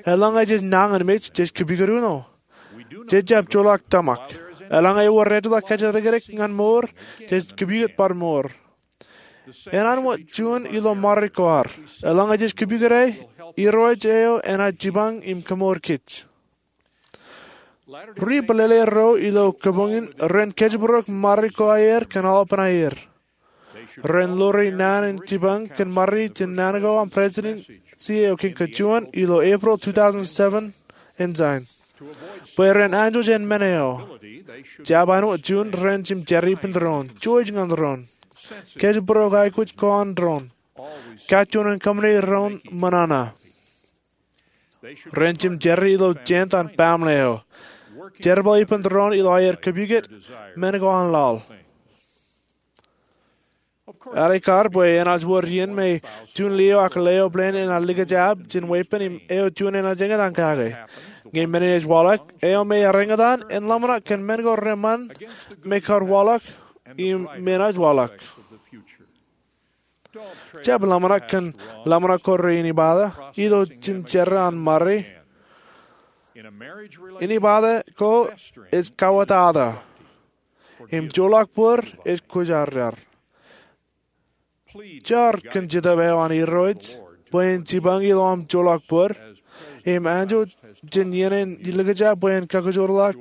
eḷaññe jej nañinmej, jej kōpikōt uno. Jej jab joḷọk tōmak. Eḷaññe ewōr ejjeḷọk kajjidikdik ñan mour, jej kōpikōt bar mour. Enana wōt juon ilo ṃare ko ad. Eḷaññe jej kōpikōt e, Irooj eo enaaj jipañ im kōmour kōj. Ri-meḷeḷe ro ilo kōpoñ in ren kōjparok ṃare ko aer kōn aolepān aer. Ren lore naan in jipañ kōn ṃare jān naan ko an Presidensi eo Kein Kein ilo April two thousand seven Ensign. Bwe ren anjọ jān men eo, jab āinwōt juon ren jim jar ippān doon, jouj ñan doon, kōjparok aikuj ko an doon, kajjoñan kōṃṃane doon ṃōṇōṇō. Ren jimjerri ilo jān an baaṃle eo, jerbal ippān tōre in ilo aer kōpukot men ko an laḷ. Ear ekar bwe enaaj wōr iien me juon lio ak leo bōlen enaaj likjab jān weeppān im eo juon enaaj eñtaan kake. Ñe men in ej waḷọk, eo me ear eñtaan en ḷōmṇak kōn men ko reṃṃan me kar waḷọk im me enaaj waḷọk. Jab ḷōmṇak kōn ḷōmṇak ko reinibata ilo jimjerri an ṃari. Inibata ko ej kawōtata im joḷọk bōd ej kwōjarjar. Jar kōn Jetōb eo an Irooj bwe en jipañ ilo aṃ joḷọk bōd im anjọ jān iien in likjab bwe en kakijoorḷọk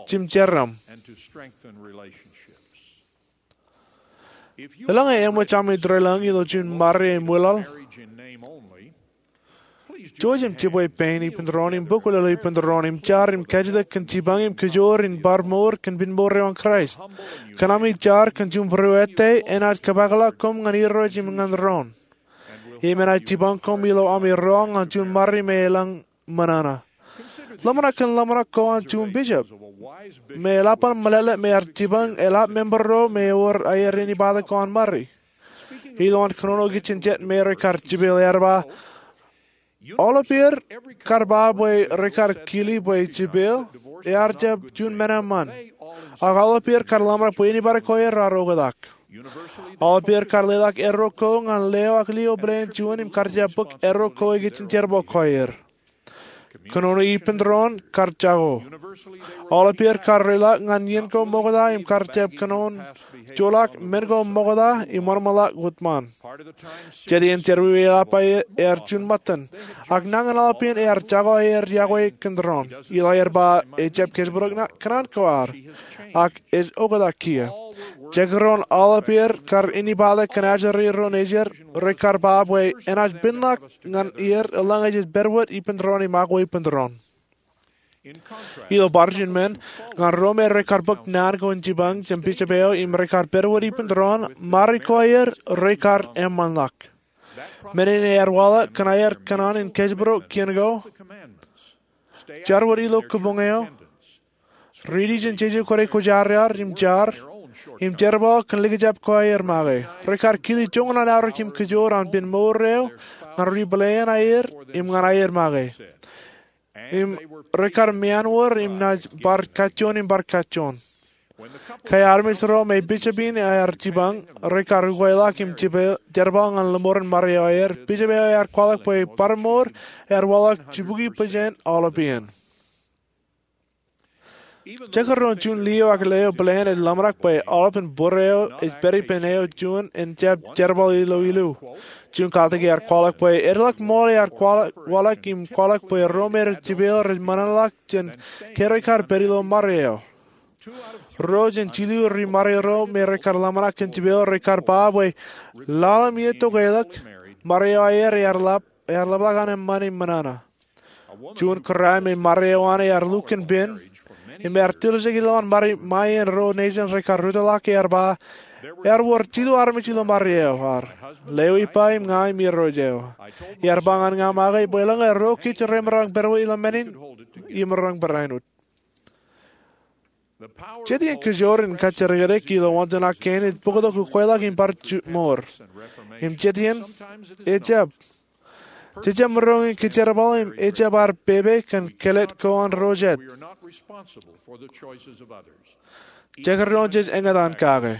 jimjerriṃ. Eḷaññe eṃōj ami tōre lōñ ilo juon ṃari eo ṃwilaḷ, jouj im jibwe pein ippān tōre in im bōk wūlōḷ ippān tōre in im jar im kajjitōk kōn jipañ im kōjoor in bar mour kōn pen mour eo an Kraist. Kōn ami jar kōn juon būruō ettā enaaj kōpakḷọk koṃ ñan Irooj im ñan tōre in, im enaaj jipañ koṃ ilo ami roñ ñan juon ṃari me elōñ ṃōṇōṇō. Ḷōmṇak kōn ḷōmṇak ko an juon bishop me eḷap an meḷeḷe me ear jipañ eḷap member ro me ewōr aer inibata ko an ṃari. Ilowaan kōnono ikijjien jet me rekar jipeeḷ, ear ba, aolep er kar ba bwe rekar kili bwe jipeeḷ ear jab juon men eṃṃan, ak aolep er kar ḷōmṇak bwe anybody ko aer raar oktak. Aolep er kar leḷọk erro ko ñan leo ak lio bōlen juon im kar jab bōk erro ko ikijjien jerbal ko aer. Kōnono ippān tōre in kar jako. Aolep er kar reḷọk ñan iien ko ṃokta im kar jab kōnono joḷọk men ko ṃokta im wōnṃaanḷọk wōt ṃaan. Jet iien jerọwiwi eḷap ear juon ṃōttan, ak nañin aolep iien ear jako aer yokwe kōn tōre in. Ilo aer ba ejjab kōjparok kōṇaan ko ad, ak ej oktak kiiō. Jekdọọn aolep er kar inibata kōn ajri ro nejid, rekar ba bwe enaaj penḷọk ñan er eḷaññe jej pād wōt ippān tōre in im akwe ippān tōre in. Ilo bar juon men, ñan ro me rekar bōk naan ko in jipañ jān bishop eo im rekar pād wōt ippān tōre in, ṃari ko aer rekar eṃṃanḷọk. Men in ear waḷọk kōn aer kōṇaan in kōjparok kien ko, jar wōt ilo kōbuñ eo, riiti jān jeje kōde kwōjarjar im jar, im jerbal kōn likjab ko aer make. Rekar kili joñan aorōk im kōjoor an pen mour eo ñan ri-pāleen aer im ñan aer make. Im rekar meanwōr im naaj bar kajjoon im bar kajjoon. Ke armej ro me bishop in ear jipañ rekar ukweḷọk im jerbal ñan lōṃoren ṃari eo aer, bishop eo ear kwaḷọk bwe barāinwōt ear waḷọk jibukwi pejān aolep iien. Jekdọọn juon lio ak leo bōlen ej ḷōmṇak bwe aolepān būruō eo ej pād ippān eo juon en jab jerbal ilo ilu. Juon kaltik ear kwaḷọk bwe edeḷọk ṃool ear waḷọk im kwaḷọk bwe ro me rej jipeeḷ rej ṃōṇōṇōḷọk jān ke rekar pād ilo ṃari eo. Ruo jān jilu ri-ṃari ro me rekar ḷōmṇak kōn jipeeḷ rekar ba bwe lale im iiō tok elōk, ṃari eo aer ear ḷap ear ḷapḷọk an eṃṃan im ṃōṇōṇō. Juon kōrā me ṃari eo an ear lukkuun pen im ear tiljek ilowaan ṃari ṃae in ruo nejin rekar rūttoḷọk ear ba, ear wōr jilu armej ilo ṃari eo ad, leo ippa im ña im irooj eo. Ear ba ñan ña make bwe eḷaññe ruo kōj remaroñ pād wōt ilo men in, imaroñ barāinwōt. Jet iien kōjoor in kajjidikdik ilo wantonak kein ej bōktok ukweḷọk im bar juon mour. Im jet iien ejjab. Jejjab maroñ in kōjerbal im ejjab ad pepe kōn kāālōt ko an ro jet. Jekdọọn jej eñtaan kake.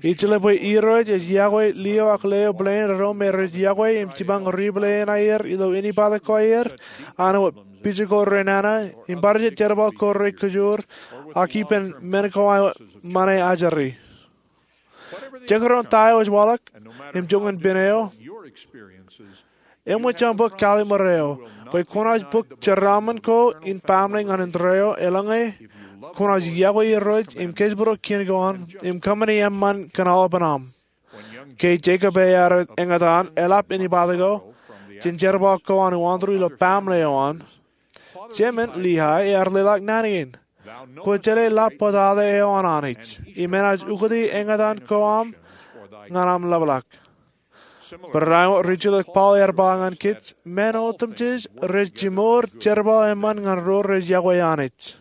Ij jeḷā bwe Irooj ej yokwe lio ak leo bōlen ro me rej yokwe im jipañ ri-pāleen aer ilo inibata ko aer, an wōt pija ko renana, im bar jet jerbal ko rekōjoor, ak ippān men ko an ṃōṇe ajri. Jekdọọn ta eo ej waḷọk, im joñan pen eo, eṃōj aṃ bōk kallim̧ur eo, bwe kwōnaaj bōk jeraaṃṃan ko in baaṃle ñan indeeo, eḷaññe kwōnaaj yokwe Irooj im kōjparok kien ko an, im kōṃṃani eṃṃan kōn aolepān aṃ. Ke Jekob ear eñtaan eḷap inibata ko jān jerbal ko an uwaanto ilo baaṃle eo an, jemān Lihay ear leḷọk naan kein, kwō jeḷā ḷap bōtata eo an Anij, im enaaj ukōte eñtaan ko aṃ ñan aṃ ḷapḷọk. Barāinwōt ri-jilōk Paul ear ba ñan kōj, men otemjej rej jimor jerbal eṃṃan ñan ro rej yokwe Anij.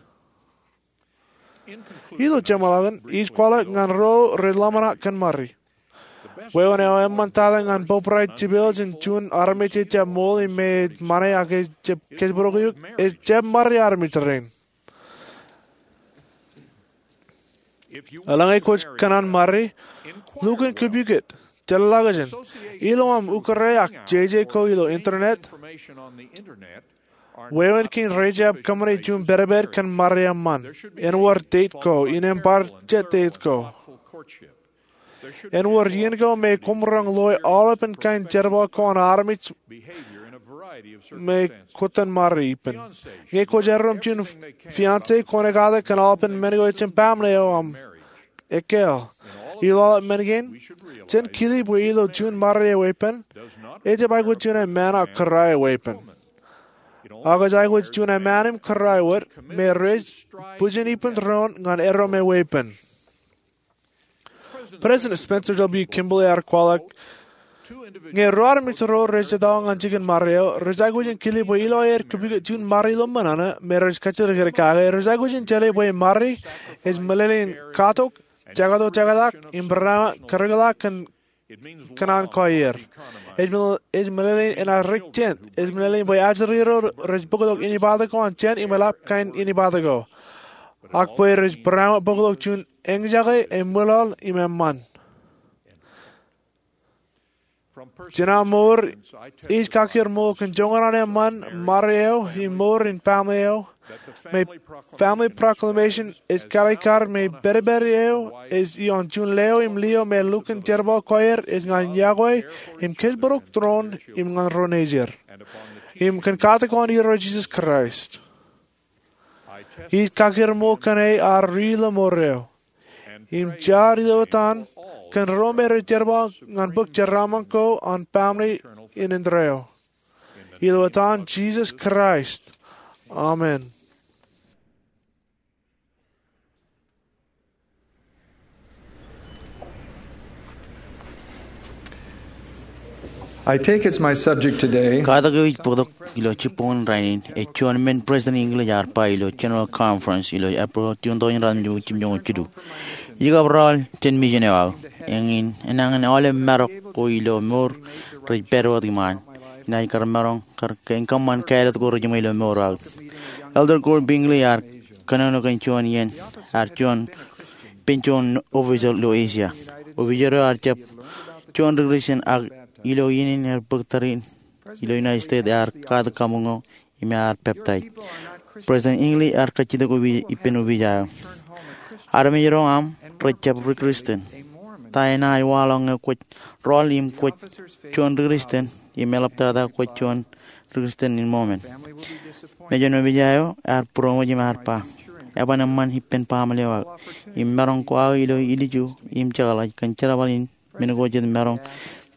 Ilo jeṃḷọkin, ij kwaḷọk ñan ro rej ḷōmṇak kōn ṃari. Wāween eo eṃṃan tata ñan bōbrae jipel jān juon armej ejjab ṃool im me ej ṃane ak ejjab kōjparok eok, ejjab ṃari armej rein. Eḷaññe kwōj kōṇaan ṃari, lukkuun kōpukot, jeḷḷọkjeṇ, ilo aṃ ukōrā ak jeje ko ilo internet. Wāween kein rejjab kōṃṃane juon pedped kōn ṃari eṃṃan. En wōr date ko, innem bar jet date ko. En wōr iien ko me kwōmaroñ loe aolepān kain jerbal ko an armej me kwōj ṃari ippān. Ñe kwōj erom juon fiancé, kwōn ekkatak kōn aolepān men ko ejjab baaṃle eo aṃ ekkā. Ilo aolep men kein, jen kile bwe ilo juon ṃari eweeppān, ejjab aikuj juon eṃṃaan ak kōrā eweeppān. Ak ej aikuj juon eṃṃaan im kōrā wōt me rej bwijin ippān doon ñan erom eweeppān. President Spencer W. Kimball ear kwaḷọk, ñe ruo armej ro rej etao ñan jikin ṃari eo, rej aikuj in kile bwe ilo aer kōpukot juon ṃari ilo ṃōṇōṇō me rej kajjitōk ilo kake, rej aikuj in jeḷā bwe ṃari ej meḷeḷein katok, jekatoktak, im barāinwōt kōrōkḷọk kōn kōṇaan ko aer. Ej meḷeḷein enaaj rik jān, ej meḷeḷein bwe ajri ro rej bōktok inepata ko an jān im eḷap kain inepata ko. Ak bwe rej barāinwōt bōktok juon eñjake, eṃwilaḷ im eṃṃan. Jān aṃ mour, ij kakkar ṃool kōn joñan an eṃṃan ṃari eo im mour in baaṃle eo, me Family Proclamation ej kalikkar me pedped eo ej ioon juon leo im lio me lukkuun jerbal ko aer ej ñan yokwe im kōjparok doon im ñan ro nejier, im kōn katak ko an Irooj Jisōs Kraist. Ij kakkar ṃool kōn e ad ri ilo mour eo im jaar ilo etan kōn ro me rej jerbal ñan bōk jeraaṃṃan ko an baaṃle in indeeo. Ilo etan Jisōs Kraist, amen. I take as my subject today. Katak eo ij bōktok ilo jibboñōn rainin ej juon men President Hinckley ear ba ilo General Conference ilo April jibboñōn rainin jibboñōn jilu. Ij kab raoḷ jān mission eo aō. Eñin enañin aolep marok ko ilo mour rej pād wōt iṃaan. Inaaj kar maroñ kar kein kōṃṃan kāālōt ko rejiṃwe ilo mour aō. Elder Gordon B. Hinckley ear kōnono kōn juon iien ear juon ippān juon official ilo Asia. Official eo ear jab juon ri-Christian ak ilo iien in er bōk tariṇ ilo United States ear katak kabuñ eo im ear peptaij. President Hinckley ear kajjitōk ippān official eo. Armej ro aṃ rej jab ri-Christian. Ta enaaj waḷọk ñe kwōj rọọl im kwōj juon ri-Christian im eḷaptata kwōj juon ri-Christian in Mormon? Mejān official eo ear būroṃōj im ear ba, eban eṃṃan ippān baaṃle eo aō im maroñ ko aō ilo ilju im jekḷaj kōn jerbal in men ko jet maroñ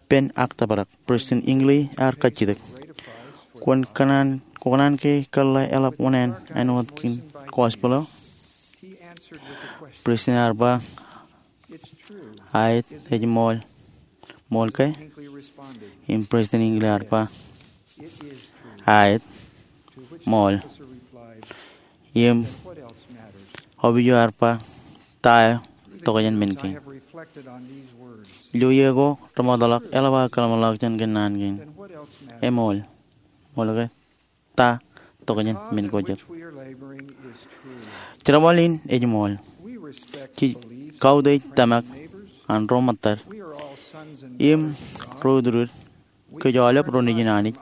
pen ak tōprak. President Hinckley ear kajjitōk, kwōn kōṇaan, kwō kōṇaan ke kōḷḷā eḷap oṇāān āinwōt kōn gospel eo? President ear ba, aet, ej ṃool. Ṃool ke? Im President Hinckley ear ba, aet, ṃool. Im official eo ear ba, ta eo tokjān men kein? Ilo iiō ko remootḷọk eḷap aō kōḷmānḷọkjeṇ kōn naan kein. Eṃool. Ṃool ke? Ta tokjān men ko jet? Jerbal in ej ṃool. Jej kautiej tōmak an ro ṃōttad im ro utdud. Kōj aolep ro nejin Anij.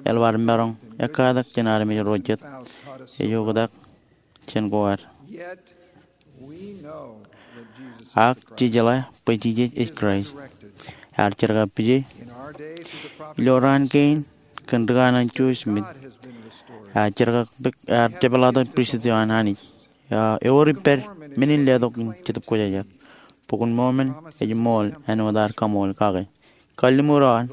Eḷap ad maroñ ekkatak jān armej ro jet ej oktak jān ko ad. Ak jej jeḷā bwe Jisōs ej Kraist. Ear jerkakpeje ilo raan kein kōn ri-kanaan Joseph Smith. Ear jerkakpeje, ear jepḷaaktok pristut eo an Anij. Ewōr ippād men in letok in Jetōb Kwōjarjar. Bok in Mormon ej ṃool āinwōt ad kaṃool kake. Kalliṃur eo an,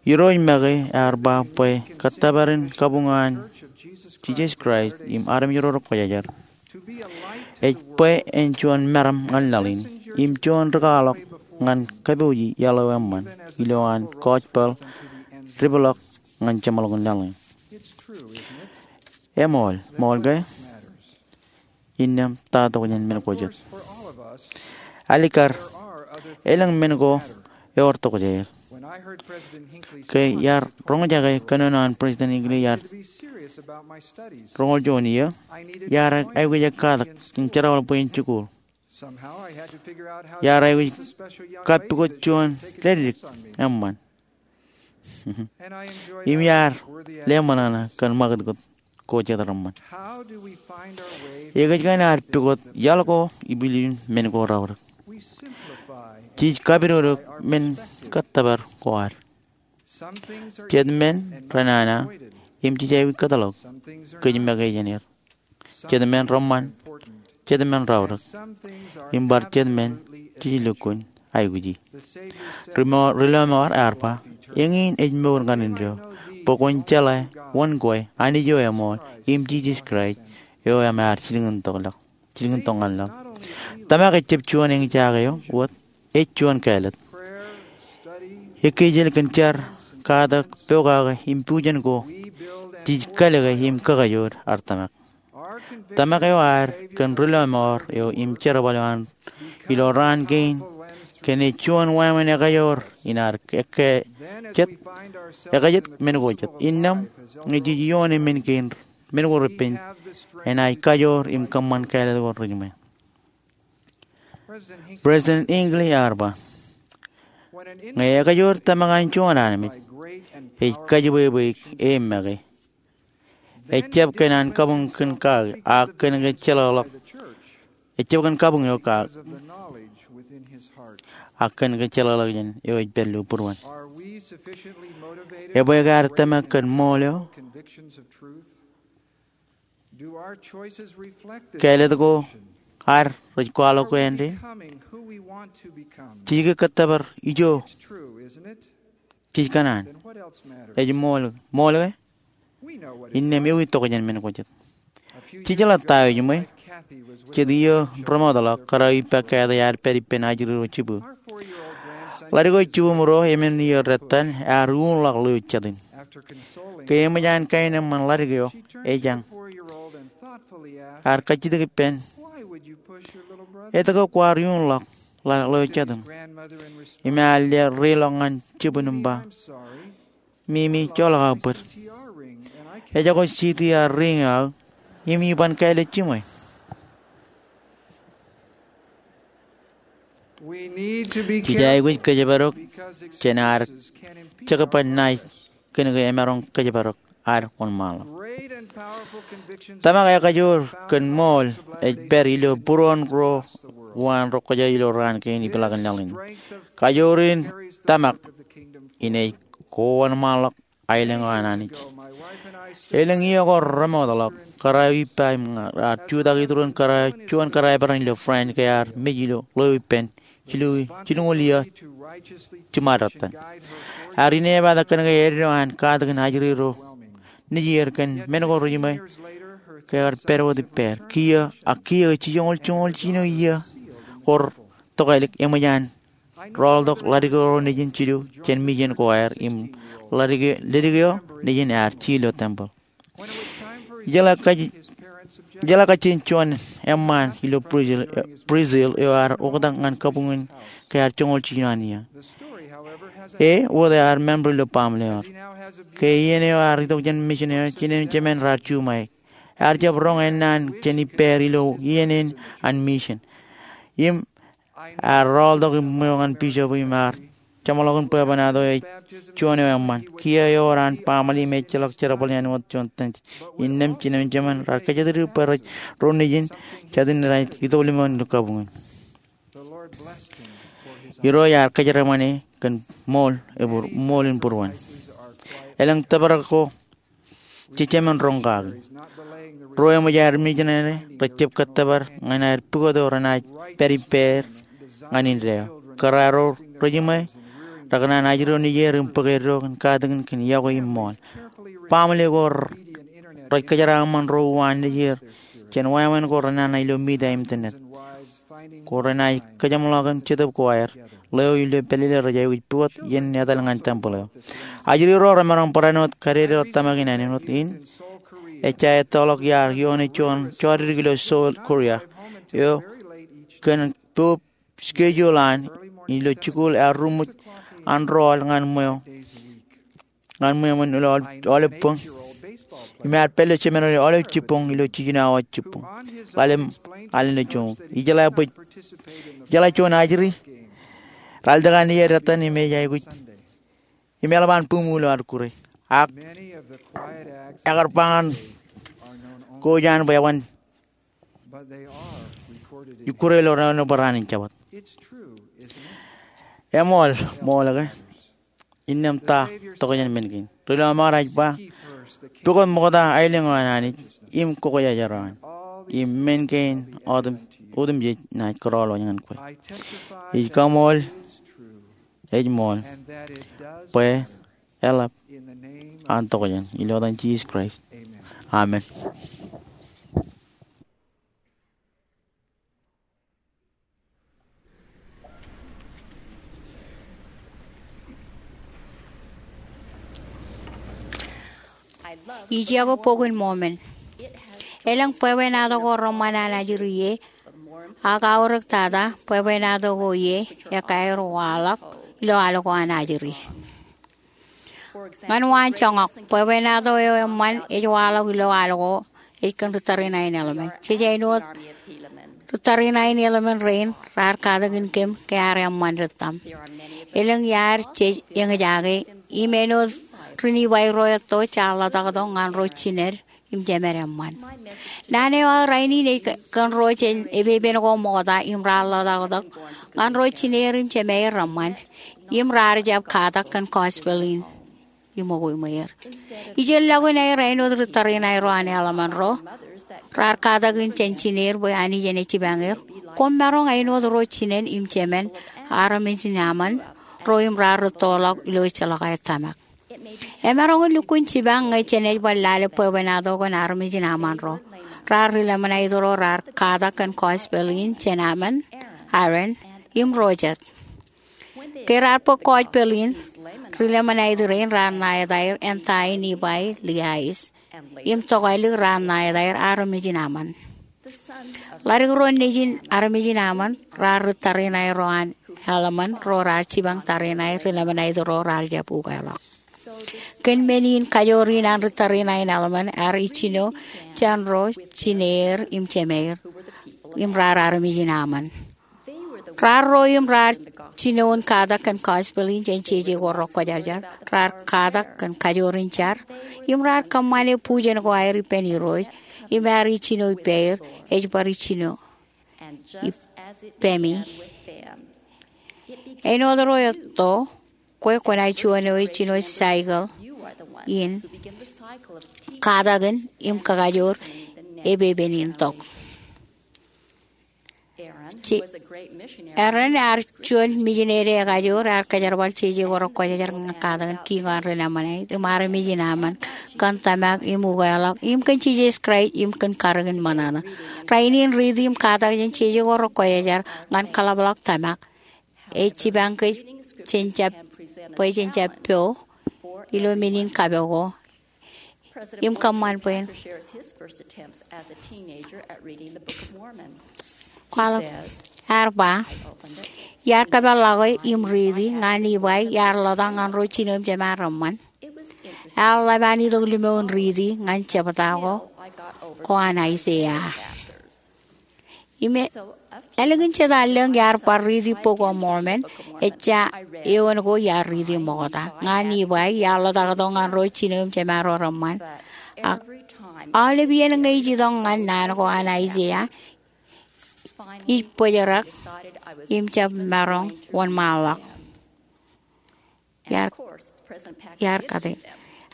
Irooj make ear ba bwe kōttōpar in kabuñ an Jisōs Kraist im armej ro rekwōjarjar ej bwe en juon meram ñan laḷ in im juon rikaḷọk ñan kapooji iaḷ eo eṃṃan ilo an gospel deḷọñ ñan jeṃḷọkin laḷ in. Eṃool, ṃool ke? Innām ta tokjān men ko jet? Alikkar, elōñ men ko ewōr tokjāer. Ke iar roñjake kōnono an President Hinckley iar roñoul juon iiō, iar aikuj katak im jerbal bwe in jikuuḷ. Iar aikuj kappukot juon lōḷḷōḷḷōḷ eṃṃan. Im iar leṃōṇōṇō kōn ṃakūtkūt ko jet reṃṃan. Ekōjkan ad pukot iaḷ ko ipilipin men ko raorōk? Jej kapidodoik men kōttōpar ko ad. Jet men renana im jej aikuj kōtḷọk kōj make jān er. Jet men reṃṃan, jet men raorōk, im bar jet men jej lukkuun aikuji. Ri-, ri-lọmọọr ear ba, eñin ej mour ñan indeeo, bwe kwōn jeḷā wōn kwe, Anij eo eṃool, im Jisōs Kraist eo eṃōj ad jilkintok ñan laḷ. Tōmak ejjab juon eñjake eo wōt, ej juon kāālōt. Ekkejel kōn jar, katak, pokake im bujen ko jej kalōke im kakajood ad tōmak. Tōmak eo ad kōn ri-lọmọọr eo im jerbal eo an ilo raan kein kōn ej juon wāween ekajoor in ad ekajet, ekajet men ko jet. Innām ñe jej ioone men kein, men ko repen, enaaj kajoor im kōṃṃan kāālōt ko rejiṃwe. President Hinckley ear ba, ñe ekajoor tōmak an juon armej ej kajebwebweik e make, ejjab kōn an kabuñ kōn kake, ak kōn ke jeḷāḷọk, ejjab kōn kabuñ eo kake, ak kōn ke jeḷāḷọkjeṇ eo ej pād ilo būruon. Ebwe ke ad tōmak kōn ṃool eo? Kāālōt ko ad rej kwaḷọk ke āindein? Jej ke kōttōpar ijo jej kōṇaan? Ej ṃool, ṃool ke? Innām ewi tokjān men ko jet? Jej jeḷā ta eo ejiṃwe. Jet iiō remootḷọk, kōrā eo ippa Kathy ear pād ippān ajri ro Jibū. Ḷadik eo jibūṃ ro, emān iiō dettan, ear uñḷọk ḷeo jatin. Ke eṃōj an kaenōṃṃan ḷadik eo, ejañ. Ear kajjitōk ippān, etke kwaar uñḷọk ḷeo jatin? Im ear reiḷọk ñan jibūn im ba, Mimi, joḷọk aō bōd. Ejako jiiti aō ring eo aō, im iban kāālōt jiṃwe. Jej aikuj kōjparok jān ad jekpen ṇae kōn ke emaroñ kōjparok ad wōnṃaanḷọk. Tōmak ekajoor kōn ṃool ej pād ilo būruon ro uwaan ro kōjā ilo raan kein ipḷaak in laḷ in. Kajoor in tōmak in ej kowōnṃaanḷọk aelōñ eo an Anij. Elōñ iiō ko remootḷọk, kōrā eo ippa im ña, ear jutak itūrūṃ kōrā, juon kōrā eo eperan ilo France ke ear mej ilo ḷeo ippān jilu, jilñuul iiō jiṃaad dettan. Ear inepata kōn ke eddo an katakin ajri ro nejier kōn men ko rejiṃwe ke ear pād wōt ippāer. Kiiō, ak kiiō jijoñoul joñoul jino iiō ko retokālik eṃōj an rọọltok ḷadik eo nejin jilu jān mission ko aer im ḷadik, ḷadik eo nejin ear jilu tempel. Ijeḷā kajjien juon eṃṃaan ilo Brazil, Brazil eo ear oktak ñan kabuñ in ke ear joñoul jilu an iiō. E wōt ear member ilo baaṃle eo. Ke iien eo ear itok jān mission eo, jinen jemān raar juṃae. Ear jab roñ ennaan jān ippāer ilo iien in an mission. Im ear rọọltok im ṃweo ñan bishop im ear jeṃḷọkin bwebwenato ej juon eo eṃṃan. Kiiō ewōr an baaṃle im ejjeḷọk jerbal āinwōt juon tenj. Innām jinen jemān raar kōjatdikdik bwe rej ro nejin jatin rej itok limoon ilo kabuñ in. Irooj ear kōjeraṃṃan e kōn ṃool, ṃool in būruon. Elōñ tōprak ko jejāmin roñ kaki. Ro eṃōj aer misineri rej jab kōttōpar ñan aer pukot eo renaaj pād ippāer ñan indeeo. Kōrā ro rejiṃwe rekōṇaan ajri ro nejier im bōk eddo kōn katakin kōn iọkwe im ṃool. Baaṃle ko rej kōjeraaṃṃan ro uwaan nejier jān wāween ko renana ilo media im internet. Ko renaaj kōjeṃḷọk in Jetōb ko aer, ḷeo ilo pālele rej aikuj pukot iien etal ñan tempel eo. Ajri ro remaroñ barāinwōt kadedeḷọk tōmak in āinwōt in, ejja ettoḷọk iar ioone juon jọdik ilo Seoul, Korea eo kōn poub schedule an ilo jikuuḷ ear ruṃwij an rọọl ñan ṃweo ñan ṃweo men ilo aolep boñ. Im ear pād ilo seminary aolep jibboñ ilo jiljino awa jibboñ ḷalem alen eo joñoul. Ijeḷā bwe, ijeḷā juon ajri, raar lōke an iiet etan im ej aikuj im eḷap an buṃwij ilo ad kure. Ak ekar ba ñan kōj an bwe eban ikkure ilo raan in Jabōt. Eṃool, ṃool ke? Innām ta tokjān men kein? Ri lọmọọr ej ba, pukot ṃokta aelōñ eo an Anij im kokojajar eo an, im men kein otemjej naaj kōrọọl wōj ñan kwe. Ij kaṃool, ej ṃool, bwe eḷap an tokjān, ilo etan Jisōs Kraist, amen. Ij iọkwe Bok in Mọmọn. Elōñ bwebwenato ko reṃṃan an ajri ie, ak aorōk tata bwebwenato ko ie ekaer waḷọk ilo al ko an ajri. Ñan waan joñak, bwebwenato eo eṃṃan ej waḷọk ilo al ko ej kōn ri tariṇae in Helaman. Jej āinwōt ri tariṇae in Helaman rein raar katakin kōm ke ear eṃṃan ri tōm. Elōñ iaad jej eñjake im āinwōt ri Nifai ro etto jaar ḷotaktok ñan ro jined im jemed eṃṃan. Naan eo aō rainin ej kōn ro jān epepen ko ṃokta im raar ḷotaktok ñan ro jineer im jemāer reṃṃan im raar jab katak kōn gospel in ṃōko iṃweer. Ijeḷọkin aer āinwōt ri tariṇae ro an Helaman ro raar katakin jān jineer bwe Anij en jipañ er, koṃ maroñ āinwōt ro jinen im jemen armej in Ammon ro im raar rūttoḷọk ilo ejjeḷọk aer tōmak. Emaroñ in lukkuun jipañ ñe jenaaj bar lale bwebwenato kōn armej in Ammon ro. Raar ri Lamanait ro raar katak kōn gospel in jān Ammon, Aaron, im ro jet. Ke raar bōk gospel in, ri Lamanait rein raar ṇa etaer ānta in Nifai, Liais, im tokālik raar ṇa etaer armej in Ammon. Ḷadik ro nejin armej in Ammon raar ri tariṇae ro an Helaman ro raar jipañ tariṇae ri Lamanait ro raar jab ukeḷọk. Kōn men in kajoor in an ri tariṇae in Helaman ear ijjino jān ro jineer im jemāer im raar armej in Ammon. Raar ro im raar jino in katak kōn gospel in jān jeje ko rekwōjarjar, raar katak kōn kajoor in jar, im raar kōṃṃane bujen ko aer ippān Irooj, im ear ijjino ippāer, ej bar ijjino ippemi. Āinwōt ro etto, kwe kwōnaaj juon eo ej jino cycle in katakin im kakajoor epepen in tok. Aaron ear juon mijinede ekajoor, ear kōjerbal jeje ko rekwōjarjar ñan katakin kiiñ eo an ri Lamanait im armej in Ammon kōn tōmak im ukeḷọk im kōn Jisōs Kraist im kōn karōk in ṃōṇōṇō. Rainin riiti im katak jān jeje ko rekwōjarjar ñan kōḷapḷọk tōmak ej jipañ kōj jān jab, bwe jen jab po ilo men in kapok ko im kōṃṃan bwe en kwaḷọk. Ear ba, iar kōpeḷḷọke im riiti ñan Nifai iar ḷotak ñan ro jino im jemaan reṃṃan. Ear ḷap an itok limo in riiti ñan jebta ko, ko an Aiseia. Im ālikin jeta lōñ iar bar riiti Bok of Mormon, ejja eoon ko iar riiti ṃokta. Ñan Nifai, iar ḷotaktok ñan ro jino im jemaan ro reṃṃan. Ak aolep iien ñe ij itok ñan naan ko an Aiseia, ij bōjrak im jab maroñ wōnṃaanḷọk. Iar, iar kate.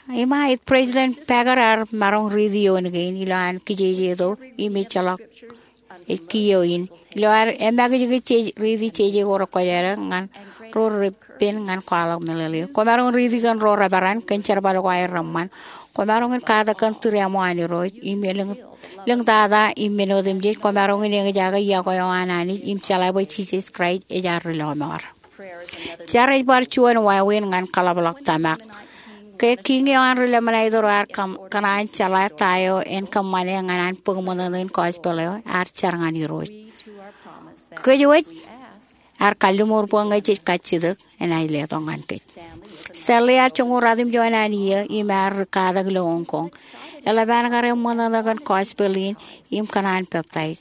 Iṃa, President Packer ear maroñ riiti eoon kein ilo an kijejeto im ejjeḷọk ej kiiō in. Ilo ad emakijkij jej riiti jeje ko rekwōjarjar ñan ro repen ñan kwaḷọk meḷeḷe. Kwōmaroñ riiti kōn ro reperan kōn jerbal ko aer reṃṃan. Kwōmaroñ in katak kōn tūriaṃo an Irooj im elōñ, lōñtata im men otemjej. Kwōmaroñ in eñjake iọkwe eo an Anij im jeḷā bwe Jisōs Kraist ej ad ri lọmọọr. Jar ej bar juon wāween ñan kaḷapḷọk tōmak. Ke kiiñ eo an ri Lamanite ro ear kōṇaan jeḷā ta eo en kōṃṃane ñan an bōk ṃōṇōṇō in gospel eo, ear jar ñan Irooj. Kōj wōj ear kalliṃur bwe ñe jej kajjitōk enaaj letok ñan kōj. Stanley ear joñoul ratimjuon an iiō im ear ri katak ilo Hong Kong. Eḷap an kar eṃṃōṇōṇō kōn gospel in im kōṇaan peptaij.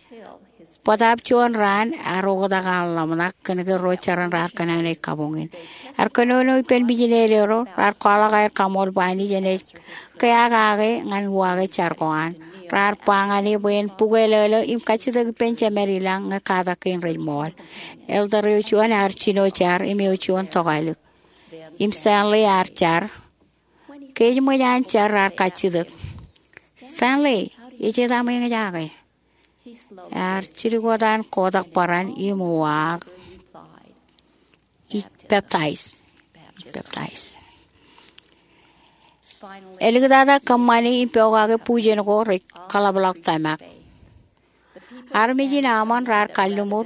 Bōtaab juon raan ear oktak an ḷōmṇak kōnke ro jeran raar kōnnaanōk kabuñ in. Ear kōnono ippān mijineri ro, raar kwaḷọk aer kaṃool bwe Anij enaaj keakake ñan uwaake jar ko an. Raar ba ñan e bwe en bukweilōḷ im kajjitōk ippān Jemān ilañ ñe katak kein rej ṃool. Elder eo juon ear jino jar im eo juon tokālik. Im Stanley ear jar. Ke ej ṃōj an jar raar kajjitōk, "Stanley, ej etaṃ eñjake?" Ear jidik wōt an kotak bōran im uwaak, "Ij peptaij. Ij peptaij." Eliktata kōṃṃani im pokake bujen ko rej kaḷapḷọk tōmak. Armej in Aṃon raar kalliṃur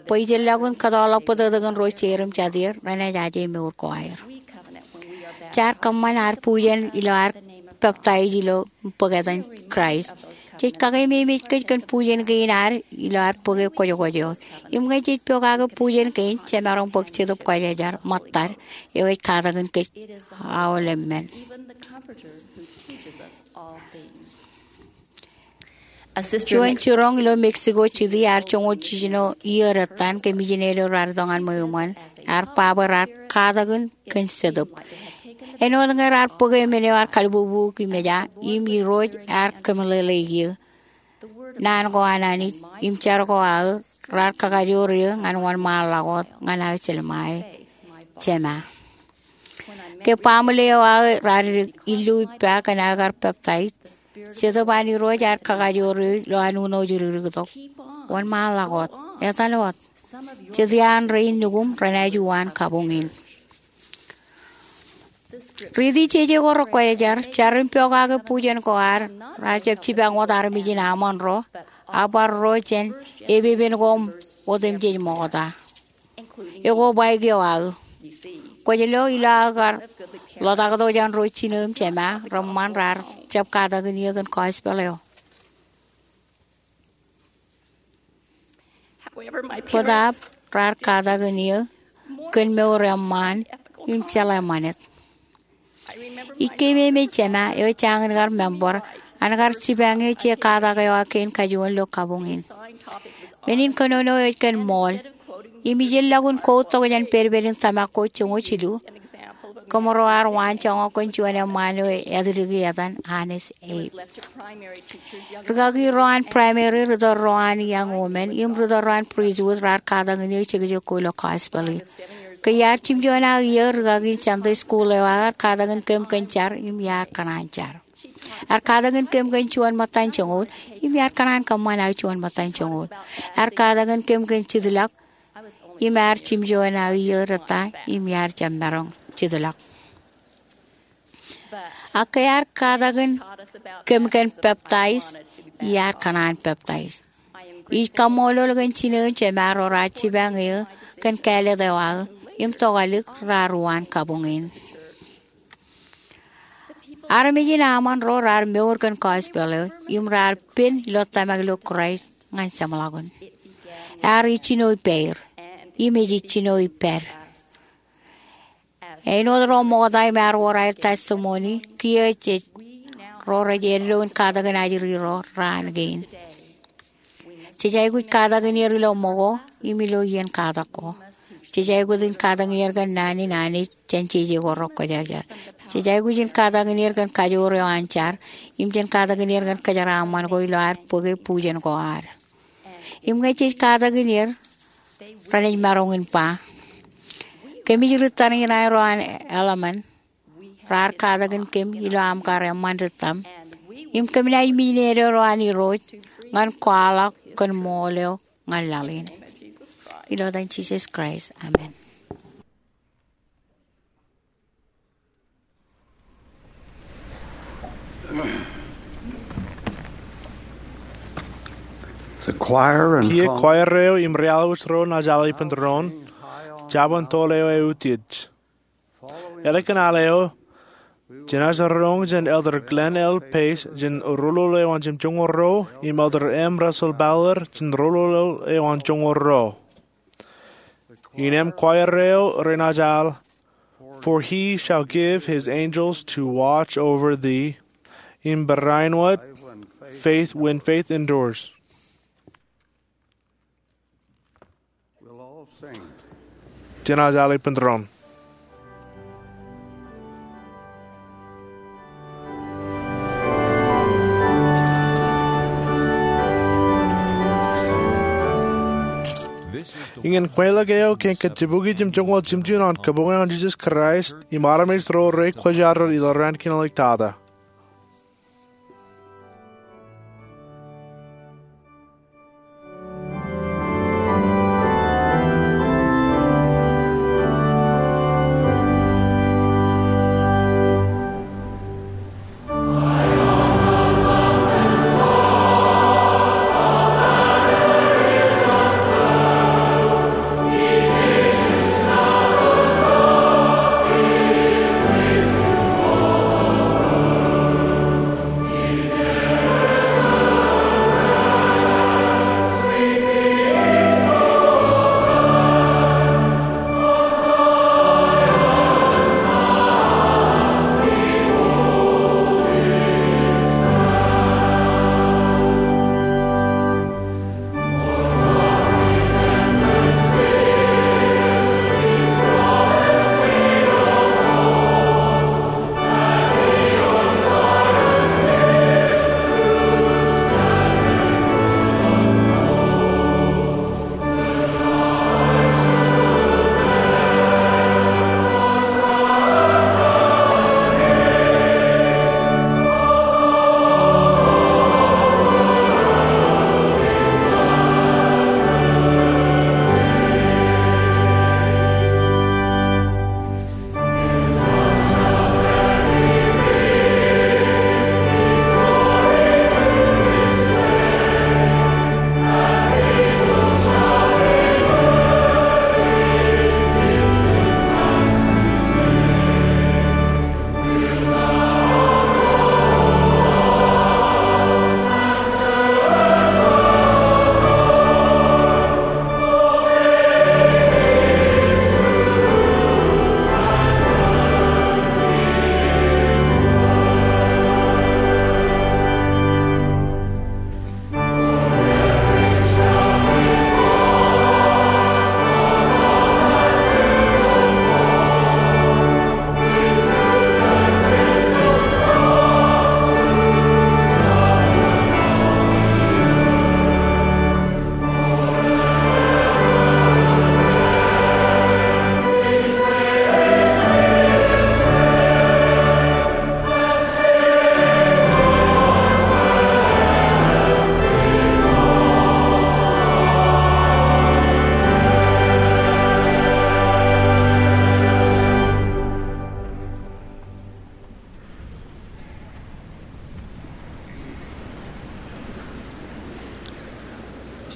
bwe ijellọkun kōtọọlḷọk bōtōktōkin ro jeid im jatid renaaj aje mour ko aer. Jaar kōṃṃan ad bujen ilo ad peptaij ilo bōk etan Kraist. Jej kakeememej kōj kōn bujen kein ad ilo ad bōke kwōjkwōj eo. Im ñe jej pokake bujen kein, jemaroñ bōk Jetōb Kwōjarjar ṃōttad eo ej katakin kōj aolep men. Juon jiroñ ilo Mexico City ear joñoul jiljino iiō dettan ke mijineri ro raar itok ñan ṃweo eṃṃan, ear ba bwe raar katakin kōn Jetōb. Āinwōt ñe raar bōke men eo ear kalbubuuk im eja, im Irooj ear kōmeḷeḷeik eō. Naan ko an Anij im jar ko aō raar kakajoor eō ñan wōnṃaanḷọk wōt ñan aō jelṃae, Jema. Ke baaṃle eo aō raar illu ippa kōn aō kar peptaij, Jetōb an Irooj ear kakajoor eō ilo an uno ej rikiriktok, "Wōnṃaanḷọk wōt. Etal wōt. Jet iaan rein nukuṃ renaaj uwaan kabuñ in." Riiti jeje ko rekwōjarjar, jar im pokake bujen ko ad, raar jab jipañ wōt armej in Aṃon ro, a bar ro jān epepen ko otemjej ṃokta. Ekwe bwaik eo aō. Kwōj lo ilo aō kar ḷotaktok jān ro jino im jema reṃṃan raar jab katakin eō kōn gospel eo. Bōtaab raar katakin eō kōn mour eṃṃaan im jeḷā ṃanit. Ij keememej jema eo ej jañin kar member an kar jipañ eō je katak eo aō kein kajuon ilo kabuñ in. Men in kōnono eo ej kōn ṃool. Im ijellọkun quote tok jān pedped in tōmak ko joñoul jilu. Kōmro ar waanjoñak kōn juon eṃṃaan eo ej ātdiki etan Honest Abe. Rikaki ro an primary, ritōl ro an young women, im ritōl ro an priesthood raar katakin eō jekjek ko ilo gospel in. Ke iar jimjuon aō iiō, rikaki in Sunday school eo aō ear katakin kōm kōn jar im iar kōṇaan jar. Ear katakin kōm kōn juon ṃōttan joñoul im iar kōṇaan kōṃṃan aō juon ṃōttan joñoul. Ear katakin kōm kōn jitḷọk im ear jimjuon aō iiō rej ta im iar jab maroñ jitḷọk. Ak ke ear katakin kōm kōn peptaij, iar kōṇaan peptaij. Ij kaṃṃoolol kōn jino im jema ro raar jipañ eō kōn kāālōt eo aō im tokālik raar uwaan kabuñ in. Armej in Aṃon ro raar mour kōn gospel eo im raar pen ilo tōmak ilo Kraist ñan jeṃḷọkin. Ear ijjino ippāer im ej ijjino ippād. Āinwōt ro ṃokta im ear wōr aer testimony, kiiō jej ro rej eddo in katakin ajri ro raan kein. Jej aikuj katakin er ilo ṃōko im ilo iien katak ko. Jej aikuj in katakin er kōn naan in Anij jān jeje ko rekwōjarjar. Jej aikuj in katakin er kōn kajoor eo an jar im jān katakin er kōn kōjeraaṃṃan ko ilo ad bōke bujen ko ad. Im ñe jej katakin er, renaaj maroñ in ba, "Kōmij ri tariṇae ro an eḷmān, raar katakin kōm ilo aṃ kar eṃṃan ri tōm, im kōm naaj mijinede ro an Irooj ñan kwaḷọk kōn ṃool eo ñan laḷ in." Ilo etan Jisōs Kraist, amen. Kiiō kwaer eo im realiwōj ro naaj al ippān doon, jabōn tool eo eutiej. Ālikin al eo, jenaaj roñ jān Elder Glenn L. Pace jān rōlōl eo an jimjuonñoul ruo im Elder M. Russell Ballard jān rōlōl eo an joñoul ruo. Innām kwaer eo renaaj al, "For he shall give his angels to watch over thee," im barāinwōt, "Faith when faith endures." Jenaaj al ippān doon. Iñin kweilọk eo kōn kōjjipukwi jimjuonñoul jimjuon an Kabuñ eo an Jisōs Kraist im armej ro rekwōjarjar ilo raan kein āliktata.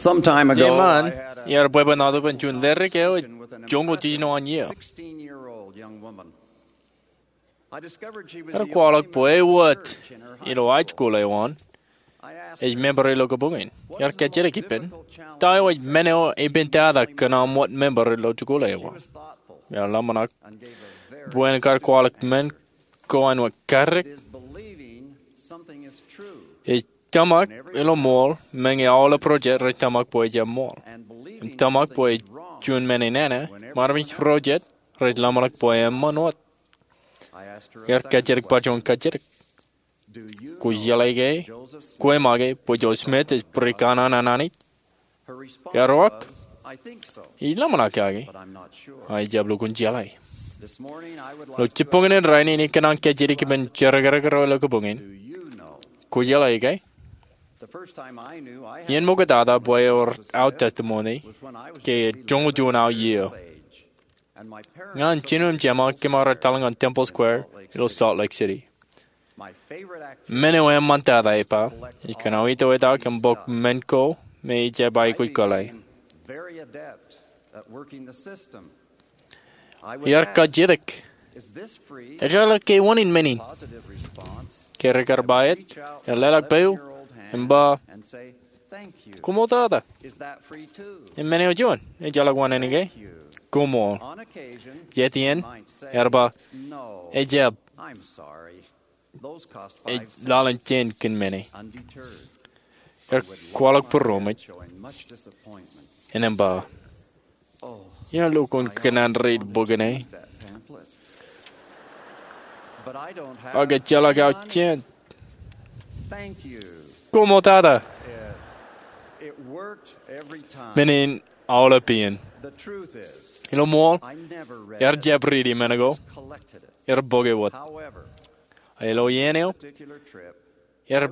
Some time ago, Jeṃaan, iar bwebwenato bwe in juon ledik eo ej joñoul jiljino an iiō. Ear kwaḷọk bwe e wōt ilo high school eo an, ej member ilo kabuñ in. Iar kajjitōk ippān, ta eo ej men eo epen tata kōn aṃ wōt member ilo jikuuḷ eo an. Ear ḷōmṇak bwe en kar kwaḷọk men ko an wōt karōk. Ej tōmak ilo ṃool, meñe aolep project rej tōmak bwe ejjab ṃool. Im tōmak bwe ej juon men enana, ṃadṃōj project rej ḷōmṇak bwe eṃṃan wōt. Iar kajjitōk bar juon kajjitōk. Kwō jeḷā ke, kwō eṃṃan ke, bwe Joseph Smith ej bōd kanaan an Anij? Ear uwaak, ij ḷōmṇak kake, ak ij jab lukkuun jeḷā. Ilo jibboñin rainin ikōṇaan kajjitōk ippān jerkakrak ro ilo kabuñ in, kwō jeḷā ke? Iien ṃoktata bwe ewōr aō testimony ke joñoul juon aō iiō. Ña im jino im jeṃa kōm ar etal ñan Temple Square ilo Salt Lake City. Men eo eṃṃantata ej ba, ij kōṇaan itoita kōn bok men ko me ij jab aikuj kōḷḷā. Iar kajjitōk, ejjeḷọk ke wōn in men in. Ke rekar ba jet, ear leḷọk peiū im ba, "Koṃṃool tata." Im men eo juon, ejjeḷọk wōn in ke, "Koṃṃool." Jet iien, ear ba, "Ejab." Ej lale jān kōn men e. Ear kwaḷọk būroṃōj. Im ba, "Iar lukkuun kōṇaan read bok in e, ak ejjeḷọk aō jān." "Koṃṃool tata." Men in aolep iien. Ilo ṃool, ear jab riiti men ko. Ear bōke wōt. Ilo iien eo, ear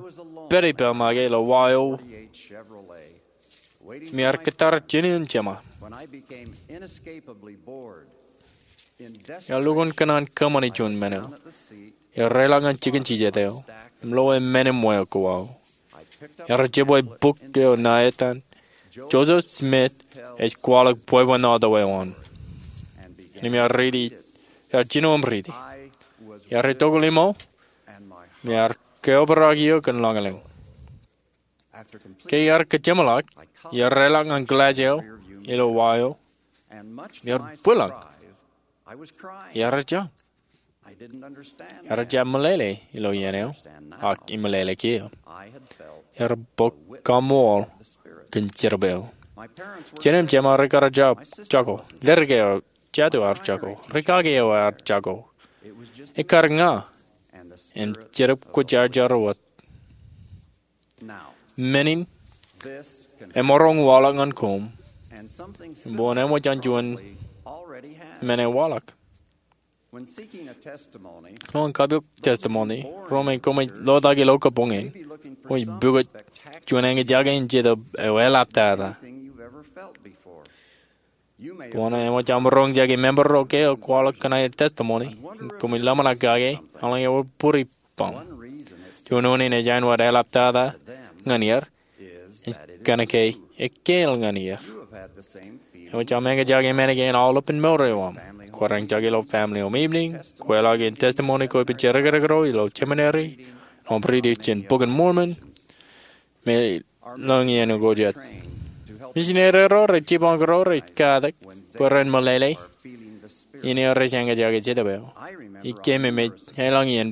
pād ippa make ilo wa eo im ear kōttar jān im jema. Ear lukkuun kōṇaan kōṃṃani juon men eo. Ear reḷọk ñan jikin jijet eo im loe men im wāween ko aō. Ear jebwe bok eo ṇa etan, "Joseph Smith ej kwaḷọk bwebwenato eo an." Im ear riiti, ear jino im riiti. Ear itok limo, im ear keobrak eō kōn lañlōñ. Ke ear kōjeṃḷọk, ear reḷọk ñan glass eo ilo wa eo, im ear bwilōñ. Ear jañ. Ear jab meḷeḷe ilo iien eo, ak imeḷeḷe kiiō. Ear bōk kaṃṃool kōn jetōb eo. Jān im jema rekar jako. Ledik eo jatū ear jako. Rikaki eo ear jako. Ekkar ña im Jetōb Kwōjarjar wōt. Men in emaroñ waḷọk ñan koṃ, im bwe en eṃōj an juon men eo waḷọk. Ilo kapiok testimony, ro me koṃij lotak ilo kabuñ in, koṃij pukot juon eñjake in jetōb eo eḷaptata. Kwōn eṃōj aṃ roñjake member ro ke eo kwaḷọk kōn aer testimony, im koṃij ḷōmṇak kake eḷaññe ewōr bōd ippaṃ. Juon unin ej āinwōt eḷaptata ñan er, ej kōnke ekāāl ñan er. Eṃōj aṃ eñjake men kein aolepān mour eo aṃ. Kwōj eñjake ilo family home evening, kwō ḷọk in testimony ko ippān jerkakrak ro ilo seminary, im riiti jān Bok in Mormon, me lōñ iien ko jet. Misineri ro rej jipañ kōrā rej katak bwe ren meḷeḷe in eo rej eñjake jetōb eo. Ij keememej elōñ iien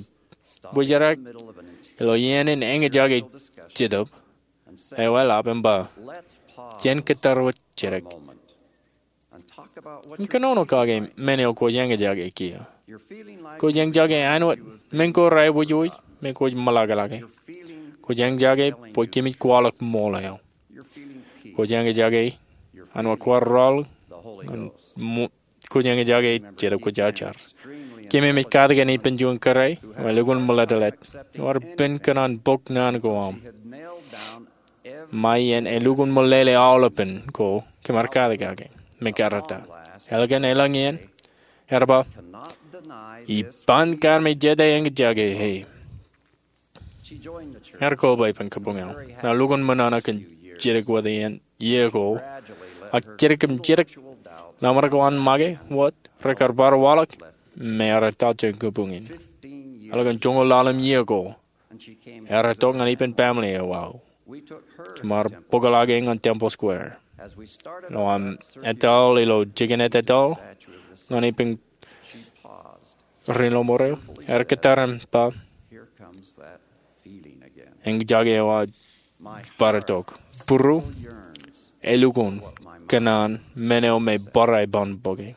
bōjrak ilo iien in eñjake jetōb eo eḷap im ba, "Jen kōttar wōt jidik im kōnono kake men eo kwōj eñjake kiiō." Kwōj eñjake āinwōt men ko reaikuj, me kwōj meḷọkḷọke. Kwōj eñjake bwe kōmij kwaḷọk ṃool eo. Kwōj eñjake āinwōt kwaar rọọl ñan ṃo-, kwōj eñjake Jetōb Kwōjarjar. Kōmij katak kōn ippān juon kōrā eo elukkuun meḷeḷeḷe. Ear pen kōṇaan bōk naan ko aṃ. Ṃae iien elukkuun meḷeḷe aolepān ko kōm ar katak kake me karōk ta. Ālikin elōñ iien, ear ba, "Iban kar me jete eñjake e." Ear koba ippān kabuñ eo. Ear lukkuun ṃōṇōṇō kōn jidik wōt iien, iiō ko. Ak jidik im jidik, ḷōmṇak ko an make wōt, rekar bar waḷọk, im ear etal jān kabuñ in. Ālikin joñoul ḷalem iiō ko, ear itok ñan ippān family eo aō. Kōm ar bōkḷọk e ñan Temple Square. Ilo aṃ etal ilo jikin etetal ñan ippān ri ḷōṃaro, ear kōttar im ba, "Eñjake eo aō bar itok." Būruō, elukkuun kōṇaan men eo me barāinwōt bōke.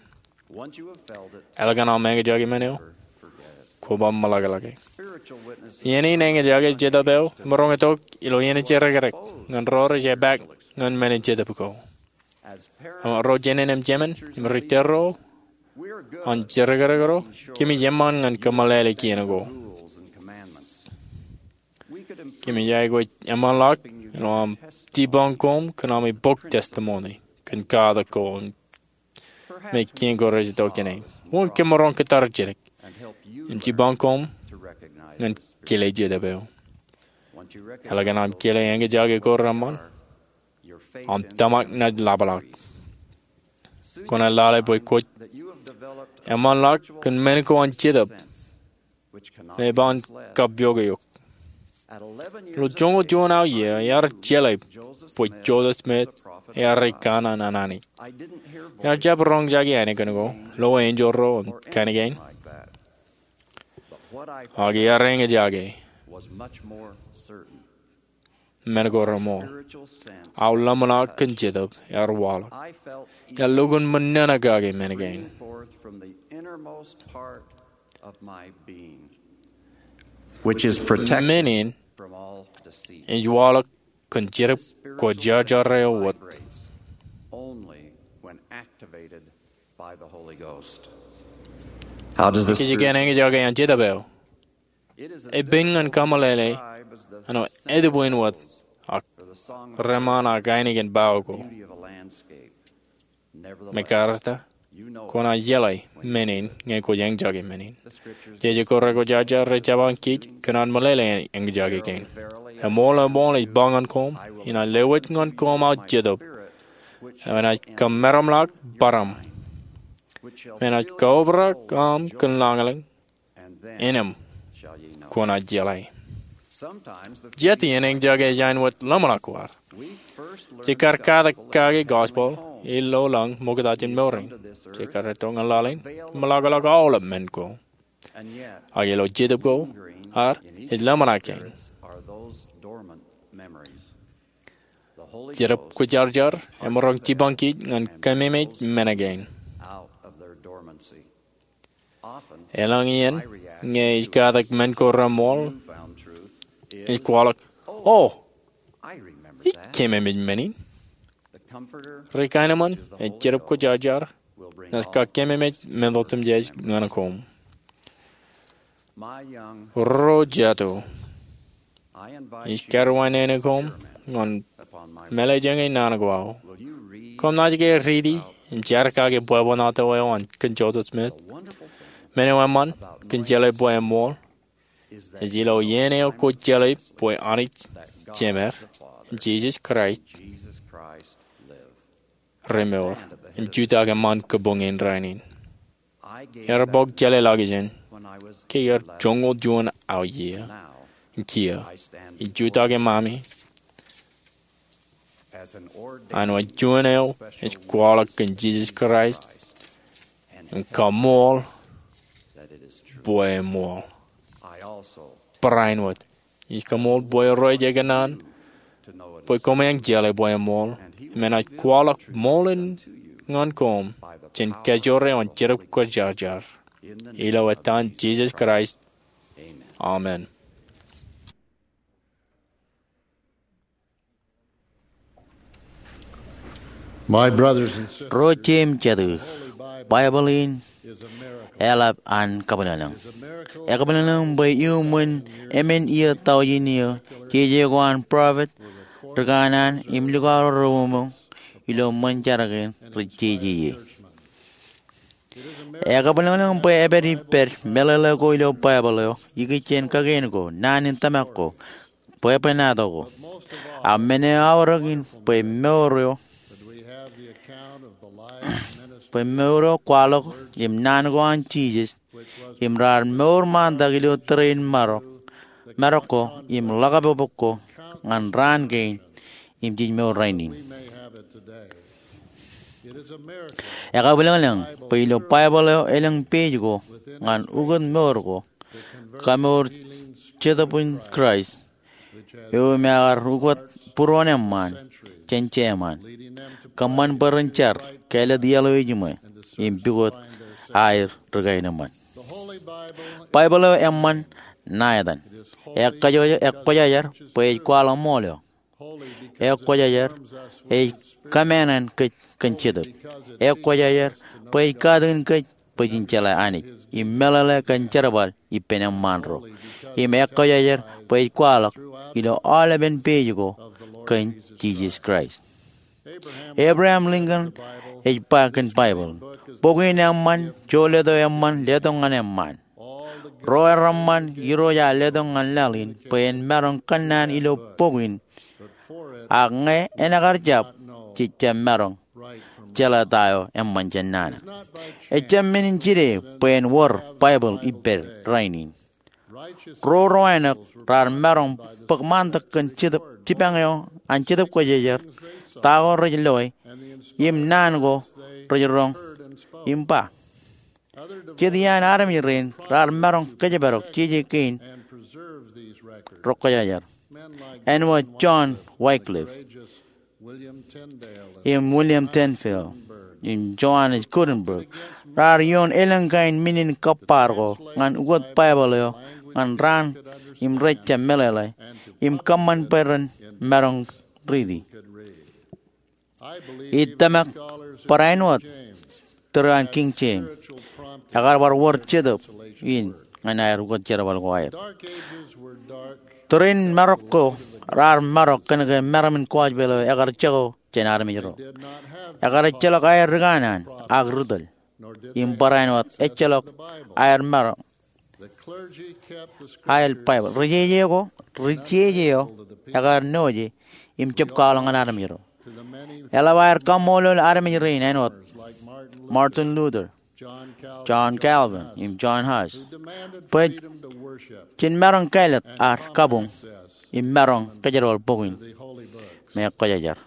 Ālikin aṃ eñjake men eo, kwō bar meḷọkḷọke. Iien in eñjake jetōb eo emaroñ itok ilo iien in jerkakrak ñan ro rej epaak ñan men in jetōb ko. Ro jānin im jemān im ri tōl ro an jerkakrak ro, kōmij eṃṃan ñan kōmeḷeḷe kien ko. Kōmij aikuj eṃṃanḷọk ilo aṃ jipañ koṃ kōn ami bōk testimony kōn katak ko me kien ko rej itok jāne. Wōn kōm maroñ kōttar jidik im jipañ koṃ ñan kile Jetōb eo. Eḷak an aṃ kile eñjake ko reṃṃan, aṃ tōmak naaj ḷapḷọk. Kwōnaaj lale bwe kwōj eṃṃanḷọk kōn men ko an Jetōb me ej ba en kappoke eok. Ilo joñoul juon aō iiō, ear jeḷā bwe Joseph Smith ear ri kanaan an Anij. Ear jab roñjake aneikin ko lo enjeḷ ro im kain kein, ak ear eñjake men ko reṃṃool. Aō ḷōmṇak kōn Jetōb ear waḷọk. Ear lukkuun ṃōṇōṇō kake men kein. Men in ej waḷọk kōn Jetōb Kwōjarjar eo wōt. Kōjeañ eñjake an Jetōb eo? Ej pen ñan kameḷeḷe āinwōt etbwin wōt ak reṃṃan ak ainikien bao ko. Mekarta, kwōnaaj jeḷā men in ñe kwōj eñjake men in. Jeje ko rekwōjarjar rej jabañ kij kōn an meḷeḷe eñjake kein. Eṃool, eṃool, ij ba ñan koṃ, inaaj lewōj ñan koṃ aō Jetōb, enaaj kamaroñḷọk bōraṃ, me enaaj kaobrak aṃ kōn lañlōñ, innām kwōnaaj jeḷā. Jet iien eñjake ej āinwōt ḷōmṇak ko ad. Jej kar katak kake gospel ilo lañ ṃokta jān mour in. Jej kar etto ñan laḷ in im ḷapḷọk aolep men ko. Ak ilo jetōb ko ad ej ḷōmṇak kein. Jetōb Kwōjarjar emaroñ jipañ kij ñan kememej men kein. Elōñ iien ñe ij katak men ko reṃṃool, ij kwaḷọk, "O, ij kememej men in." Ri kaenōṃṃan ej Jetōb Kwōjarjar naaj kakememej men otemjej ñan koṃ. Ro jatū, ij karuwainene koṃ ñan mālejāñe naan ko aō. Koṃ naaj ke riiti im jar kake bwebwenato eo an kōn Joseph Smith? Men eo eṃṃan kōn jeḷā bwe eṃool ej ilo iien eo kwōj jeḷā bwe Anij Jemed im Jisōs Kraist remour im jutak eṃṃan kabuñ in rainin. Ear bōk jeḷāḷọkjeṇ ke iar joñoul juon aō iiō. Im kiiō ij jutak eṃṃami āinwōt juon eo ej kwaḷọk kōn Jisōs Kraist im kaṃool bwe eṃool. Barāinwōt ij kaṃool bwe rej kōṇaan bwe koṃeañ jeḷā bwe eṃool im enaaj kwaḷọk ṃool in ñan koṃ jān kajoor eo an Jetōb Kwōjarjar. Ilo etan Jisōs Kraist, amen. My brothers and sisters, ro jet im jatū, Baibōḷ in eḷap an kabwilōñlōñ. Ekabwilōñlōñ bwe iuṃwin emān iiō taujin iiō, jeje ko an prophet ri kanaan im likao ro reṃōṃ ilo ṃōn jar kein rej jeje ie. Ekabwilōñlōñ bwe epād ippād meḷeḷe ko ilo Baibōḷ eo ikijjien kakien ko, naan in tōmak ko, bwebwenato ko. Ak men eo aorōk in bwe mour eo, bwe mour eo kwaḷọk im naan ko an Jisōs im raar mour ṃaantak ilo tōre in marok, marok ko im ḷōkapokpok ko ñan raan kein im jej mour rainin. Ekabwilōñlōñ bwe ilo Baibōḷ eo elōñ page ko ñan ukōt mour ko, kamour Jetōb in Kraist, eo im ekar ukōt būruon eṃṃaan jān jeṃaan, kōṃṃan bwe ren jar kāālōt iaḷ eo ejiṃwe im pukot aer ri kaenōṃṃan. Baibōḷ eo eṃṃan ṇa etan. Ekwōjarjar bwe ej kwaḷọk ṃool eo. Ekwōjarjar ej kōmāān kōj kōn Jetōb. Ekwōjarjar bwe ej katakin kōj bwe jen jeḷā Anij im meḷeḷe kōn jerbal ippān eṃṃaan ro. Im ekwōjarjar bwe ej kwaḷọk ilo aolepen page ko kōn Jisōs Kraist. Abraham Lincoln ej ba kōn Baibōḷ, bok in eṃṃan, jolōt eo eṃṃan letok ñan eṃṃaan. Ro ereṃṃan Irooj ear letok ñan laḷ in bwe en maroñ kōnnaan ilo bok in, ak ñe enaaj kar jab, jej jab maroñ jeḷā ta eo eṃṃan jān nana. Ejjab men in jide bwe en wōr Baibōḷ ippād rainin. Ro ro āinwōt raar maroñ bōk ṃaantak kōn jipañ eo an Jetōb Kwōjarjar, ta ko rej loe, im naan ko rej roñ im ba. Jet iaan armej rein raar maroñ kōjparok jeje kein ro kwōjarjar, āinwōt John Wycliffe im William Tyndale im Johannes Gutenberg, raar ioon elōñ kain men in kōbbaar ko ñan ukōt Baibōḷ eo ñan raan im rej jab meḷeḷe im kōṃṃan bwe ren maroñ riiti. Ij tōmak barāinwōt tōre an King James ekar bar wōr jetōb in ñan aer ukōt jerbal ko aer. Tōre in marok ko raar marok kōnke meram in gospel eo ekar jako jān armej ro. Ekar ejjeḷọk aer rikanaan ak ri tōl, im barāinwōt ejjeḷọk aer maroñ aer Baibōḷ. Ri jeje ko, ri jeje eo ekar noje im jab kwaḷọk ñan armej ro. Eḷap aer kaṃṃoolol armej rein āinwōt Martin Luther, John Calvin, im John Huss, bwe jen maroñ kāālōt ad kabuñ im maroñ kōjerbal bok in me kwōjarjar.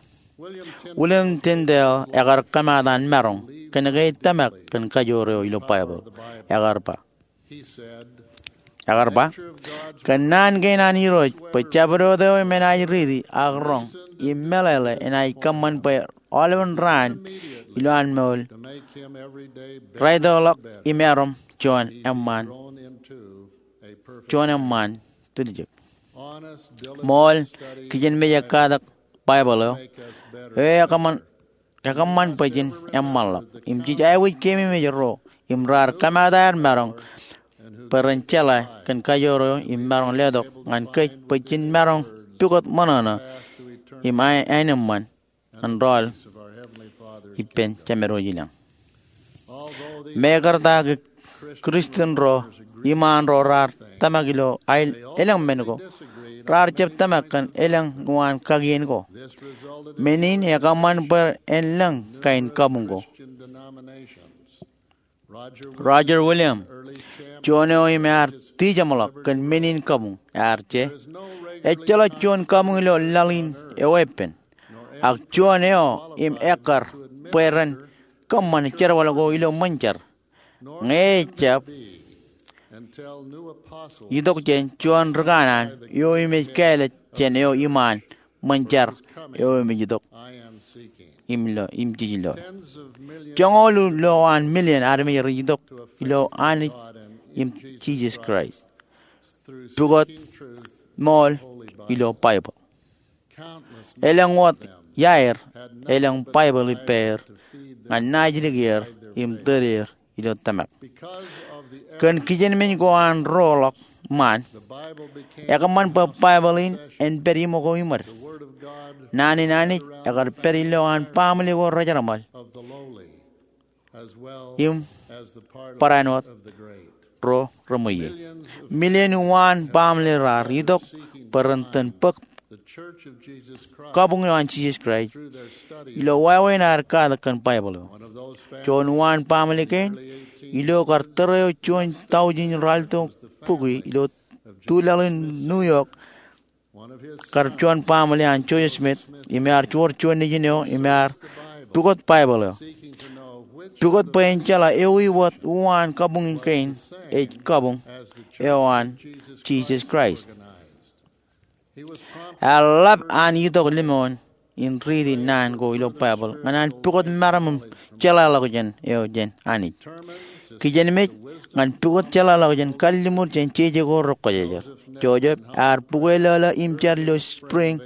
William Tyndale ekar kōmaat an maroñ kōnke ej tōmak kōn kajoor eo ilo Baibōḷ. Ekar ba, ekar ba, kōnnaan kein an Irooj bwe jabdewōt eo im enaaj riiti ak roñ im meḷeḷe enaaj kōṃṃan bwe aolepen raan ilowaan mour raitōkḷọk im erom juon eṃṃaan, juon eṃṃaan tiljek. Ṃool, kijenmej ekkatak Baibōḷ eo, eo ekōṃṃan, ekōṃṃan bwe jen eṃṃanḷọk. Im jej aikuj keememej ro im raar kōmaat aer maroñ bwe ren jeḷā kōn kajoor eo im maroñ letok ñan kōj bwe jen maroñ pukot ṃōṇōṇō im aenōṃṃan ñan rọọl ippān Jemedwōj ilañ. Mekarta ke Christian ro iṃaan ro raar tōmak ilo aer elōñ men ko, raar jab tōmak kōn elōñ uwaan kakien ko. Men in ekōṃṃan bwe en lōñ kain kabuñ ko. Roger Williams, juon eo im ear tijeṃḷọk kōn men in kabuñ, ear je, ejjeḷọk juon kabuñ ilo laḷ in eweeppān, ak juon eo im ekkar bwe ren kōṃṃan jerbal ko ilo ṃōn jar, ñe ejjab itok jān juon rikanaan eo im ej kāālōt jān eo iṃaan ṃōn jar eo im ej itok im ilo, im jej ilo. Joñoul ilowaan million armej rej itok ilo Anij im Jisōs Kraist pukot ṃool ilo Baibōḷ. Elōñ wōt iaer elōñ Baibōḷ ippāer ñan naajdik er im tōl er ilo tōmak. Kōn kijenmej ko an roḷọk ṃaan, ekōṃṃan bwe Baibōḷ in en pād iṃōko iṃōd. Naan in Anij ekar pād ilowaan baaṃle ko rejerṃōl im barāinwōt ro reṃweiie. Million uwaan baaṃle raar itok bwe ren itōn bōk kabuñ eo an Jisōs Kraist ilo wāween aer katak kōn Baibōḷ eo. Juon uwaan baaṃle kein, ilo kar tōre eo juon taujin ralitōk bukwi ilo tulaḷ in New York, kar juon baaṃle an Joseph Smith, im ear wōr juon nejin eo im ear pukot Baibōḷ eo. Pukot bwe en jeḷā ewi wōt uwaan kabuñ kein ej kabuñ eo an Jisōs Kraist. Ear ḷap an itok lemñoul in riiti naan ko ilo Baibōḷ ñan an pukot meram im jeḷāḷọkjeṇ eo jān Anij. Kijenmej ñan pukot jeḷāḷọkjeṇ kalliṃur jān jeje ko ro kwōjarjar. Joseph ear bukwe lōḷō im jar ilo spring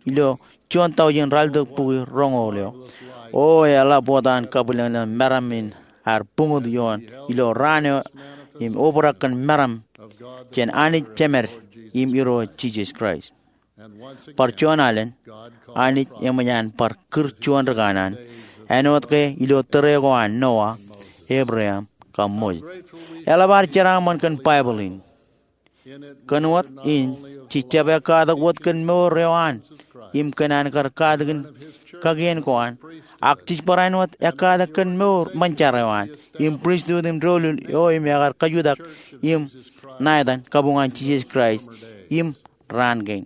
ilo juon taujin ralitōk bukwi roñoul eo. O eḷap wōt an kabwilōñlōñ meram in ear buñut ioon ilo raan eo im obrak kōn meram jān Anij Jemed im Irooj Jisōs Kraist. Bar juon alen, Anij eṃōj an bar kūr juon rikanaan, āinwōt ke ilo tōre ko an Noah, Abraham, Kaṃṃoolol. Eḷap ad jeraaṃṃan kōn Baibōḷ in. Kōn wōt in, jej jab ekkatak wōt kōn mour eo an im kōn an kar katakin kakien ko an, ak jej barāinwōt ekkatak kōn mour ṃōn jar eo an im pristut im doulul eo im ekar kajutak im ṇa etan kabuñ an Jisōs Kraist im raan kein,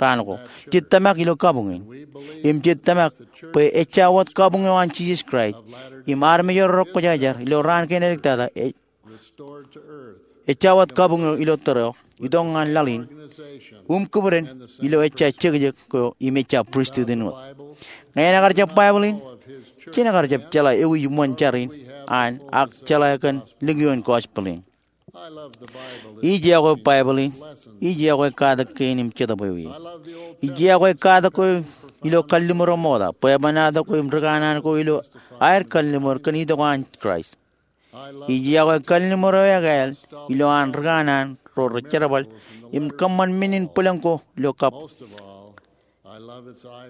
raan ko. Jej tōmak ilo kabuñ in. Im jej tōmak bwe ejja wōt kabuñ eo an Jisōs Kraist im armej ro rekwōjarjar ilo raan kein edik tata, ej, ejja wōt kabuñ eo ilo tōre eo, itok ñan laḷ in, im kūpdin ilo ejja jekjek ko im ejja pristut in wōt. Ñe en ekar jab Baibōḷ in, jen ekar jab jeḷā ewi ṃōn jar in an ak jeḷā kōn likioin gospel in. Ij iọkwe Baibōḷ in. Ij iọkwe katak kein im Jetōb Ewi. Ij iọkwe katak ko ilo kalliṃur eo ṃokta, bwebwenato ko im rikanaan ko ilo aer kalliṃur kōn itok an Kraist. Ij iọkwe kalliṃur eo ekāāl ilo an rikanaan ro rej jerbal im kōṃṃan men in bwilōñ ko ilo kab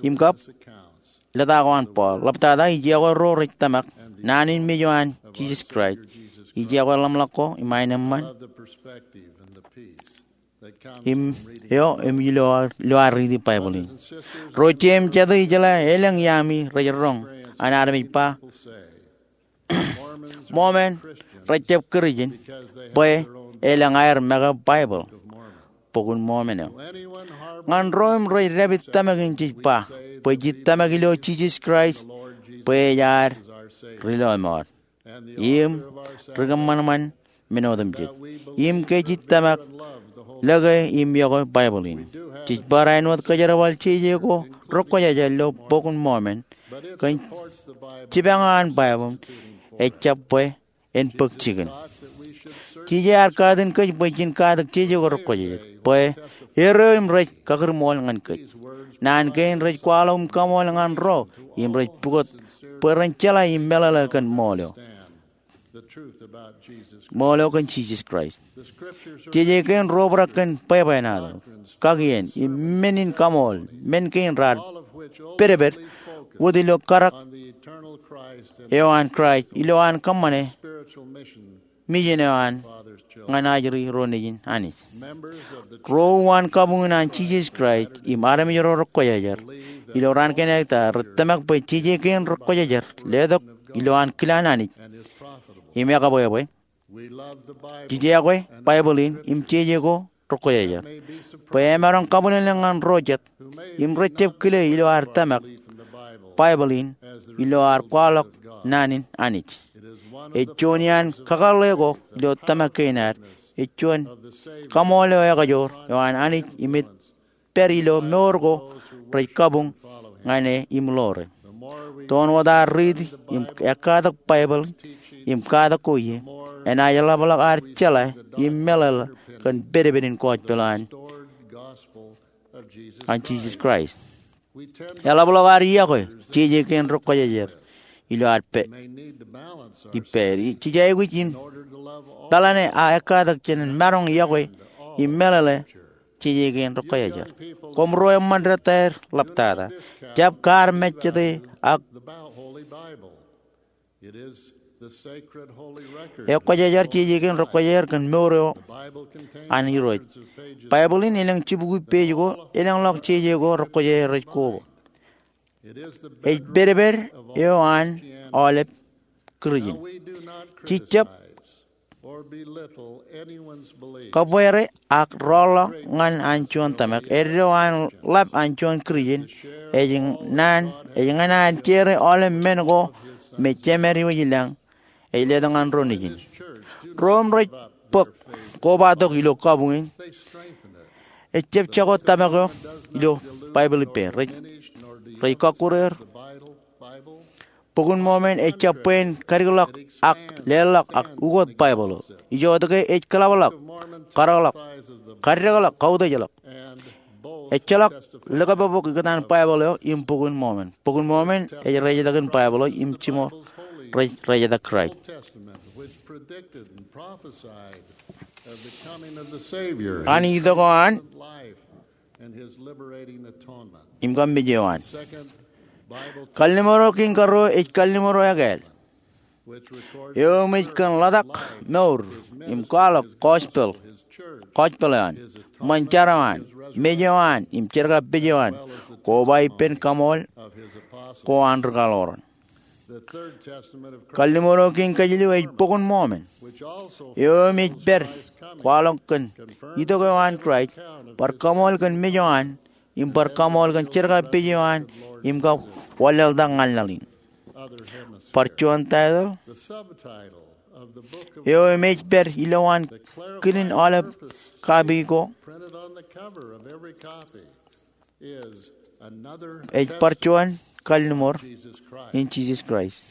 im kab lōta ko an Paul. Ḷaptata, ij iọkwe ro rej tōmak naan in mej eo an Jisōs Kraist. Ij iọkwe ḷōmṇak ko im aenōṃṃan im eo im ilo, ilo ad riiti Baibōḷ in. Ro jet im jete, ijeḷā elōñ iaami rej roñ an armej ba Mormon rej jab Kūrjin bwe elōñ aer make Baibōḷ, Bok in Mormon eo. Ñan ro im rej dāpij tōmak in, jej ba bwe jej tōmak ilo Jisōs Kraist bwe ej ad ri-lọmọọr im ri-kōṃanṃan men otemjej, im ke jej tōmak lōke im iọkwe Baibōḷ in. Jej barāinwōt kōjerbal jeje ko rekwōjarjar ilo Bok in Mormon kōn jipañ eo an Baibōḷ, ejjab bwe en bōk jikin. Jeje ear katin kōj bwe jen katak jeje ko rekwōjarjar, bwe erreo im rej kakūrṃool ñan kōj. Naan kein rej kwaḷọk im kaṃool ñan ro im rej pukot bwe ren jeḷā im meḷeḷe kōn ṃool eo, ṃool eo kōn Jisōs Kraist. Jeje kein rej obrak kōn bwebwenato, kakien, im men in kaṃool, men kein raar pedped wōt ilo karak eo an Kraist ilo an kōṃṃane mijen eo an ñan ajri ro nejin Anij. Ro uwaan kabuñ in an Jisōs Kraist im armej ro rekwōjarjar ilo raan kein edik tata rej tōmak bwe jeje kein rekwōjarjar letok ilo an kilaan Anij im ekabwebwe. Jej iọkwe Baibōḷ in im jeje ko rekwōjarjar bwe emaroñ kabwilōñlōñ ñan ro jet im rej jab kile ilo ad tōmak Baibōḷ in ilo ad kwaḷọk naan in Anij. Ej juon iaan kakōḷḷe ko ilo tōmak kein ad. Ej juon kaṃool eo ekajoor eo an Anij im ej pād ilo mour ko rej kabuñ ñan e im ḷoore. Toon wōt ad riiti im ekkatak Baibōḷ im katak ko ie, enaaj ḷapḷọk ad jeḷā im meḷeḷe kōn pedped in gospel an, an Jisōs Kraist. Eḷapḷọk ad iọkwe jeje kein rekwōjarjar ilo ad pā, ippāer. Jej aikuj im pālane aō ekkatak jān maroñ iọkwe im meḷeḷe jeje kein rekwōjarjar. Koṃ ro eṃṃan detaer ḷaptata, jab kaar mejjete ak ekwōjarjar jeje kein rekwōjarjar kōn mour eo an Irooj. Baibōḷ in elōñ jibukwi page ko elōñḷọk jeje ko rekwōjarjar rej koba. Ej pedped eo an aolep Kūrjin. Jej jab kabweere ak rọọlḷọk ñan an juon tōmak. Eddo an ḷap an juon Kūrjin ej ñan, ej ñan an jere aolep men ko me Jemed Iwōj i lañ ej letok ñan ro nejin. Ro im rej bōk kobatok ilo kabuñ in ejjab jako tōmak eo ilo Baibōḷ ippāer. Rej, rej kọkkure er. Bok in Mormon ejjab bwe en kadikḷọk ak leḷḷọk ak ukot Baibōḷ eo. Ijoke ej kōḷapḷọk, kadikḷọk, kaddekḷọk, kautiejḷọk. Ejjeḷọk likabok ikōtaan Baibōḷ eo im Bok in Mormon. Bok in Mormon ej rejetak in Baibōḷ eo im jiṃor rej, rejetak Kraist. An itok eo an im kab mej eo an. Kalliṃur eo kein karuo ej kalliṃur eo ekāāl. eo im ej kōn ḷotak mour im kwaḷọk gospel, gospel eo an, ṃōn jar eo an, mej eo an im jerkapej eo an, koba ippān kaṃool ko an ri kaḷoran. Kalliṃur eo kein kajilu ej Bok in Mormon, eo im ej pād kwaḷọk kōn itok eo an Kraist, bar kaṃool kōn mej eo an, im bar kaṃool kōn jerkapej eo an, im kab wanlaḷtak ñan laḷ in. Bar juon taitōḷ eo im ej pād ilowaan kidin aolep kapi ko ej bar juon kalliṃur in Jisōs Kraist.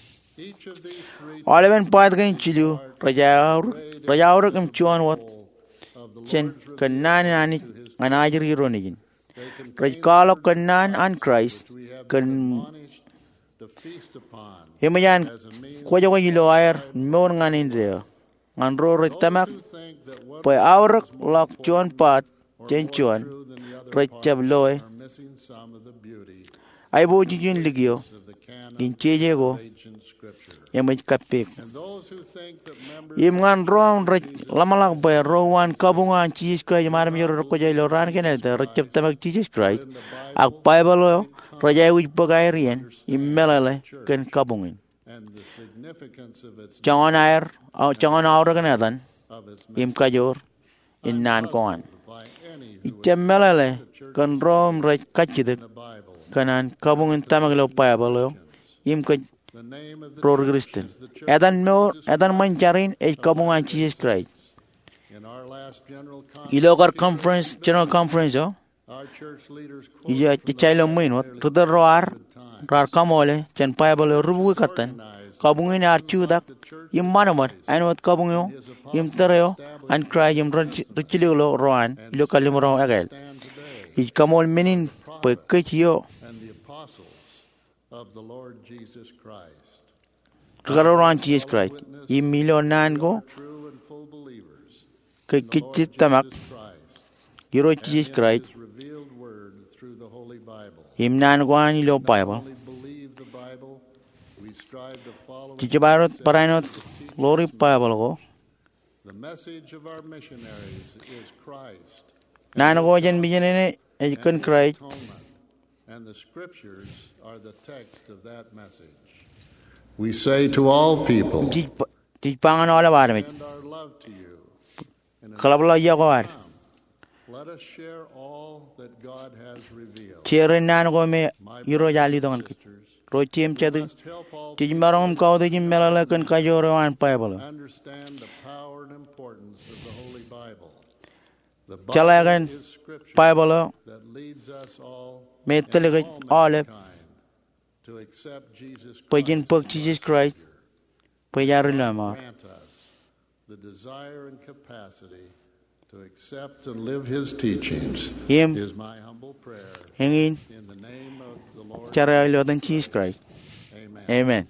Aolepen part kein jilu rej aorōk, rej aorōk im juon wōt jān kōnnaan in Anij ñan ajri ro nejin. Rej kwaḷọk kōnnaan an Kraist kōn eṃōj an kwōjkwōj ilo aer mour ñan indeeo. Ñan ro rej tōmak bwe aorōk ḷọk juon part jān juon, rej jab loe aiboojoj in likio in jeje ko eṃōj kappek. Im ñan ro im rej ḷōmṇak bwe ro uwaan kabuñ an Jisōs Kraist im armej ro rekwōjarjar ilo raan kein āliktata, rej jab tōmak Jisōs Kraist, ak Baibōḷ eo rej aikuj bōk aer iien im meḷeḷe kōn kabuñ in. Joñan aer, joñan aorōk in etan im kajoor in naan ko an. Ij jab meḷeḷe kōn ro im rej kajjitōk kōn an kabuñ in tōmak ilo Baibōḷ eo im kōj ro ri Kristian. Etan mour, etan ṃōn jar in ej kabuñ an Jisōs Kraist. Ilo kar conference, general conference eo, ij ja ilo ṃwiin wōt, ri tōl ro ad raar kaṃoole jān Baibōḷ eo rubukwi kōttan. Kabuñ in ear jutak im ṃadṃōd āinwōt kabuñ eo im tōre eo an Kraist im ri jilkinḷọk ro an ilo kalliṃur eo ekāāl. Ij kaṃool men in bwe kōj eo ri karuo ro an Jisōs Kraist im ilo naan ko kōj kajjitōk tōmak Irooj Jisōs Kraist im naan ko an ilo Baibōḷ. Jej jab bar āinwōt ḷoori Baibōḷ ko. Naan ko jān misineri ej kōn Kraist. We say to all people, Jej ba, jej ba ñan aolep armej, and our love to you, in an kōḷapḷọk iọkwe ad. Let us share all that God has revealed. Jerin naan ko me Irooj ear letok ñan kōj. Ro jeiū im jatū, jej maroñ im kautiej im meḷeḷe kōn kajoor eo an Baibōḷ eo. Understand the power and importance of the Holy Bible. Jeḷā kōn Baibōḷ eo me etōl kōj aolep bwe jen bōk Jisōs Kraist bwe ej ad Ri Lọmọọr. Im eñin jar eo ilo etan Jisōs Kraist. Amen.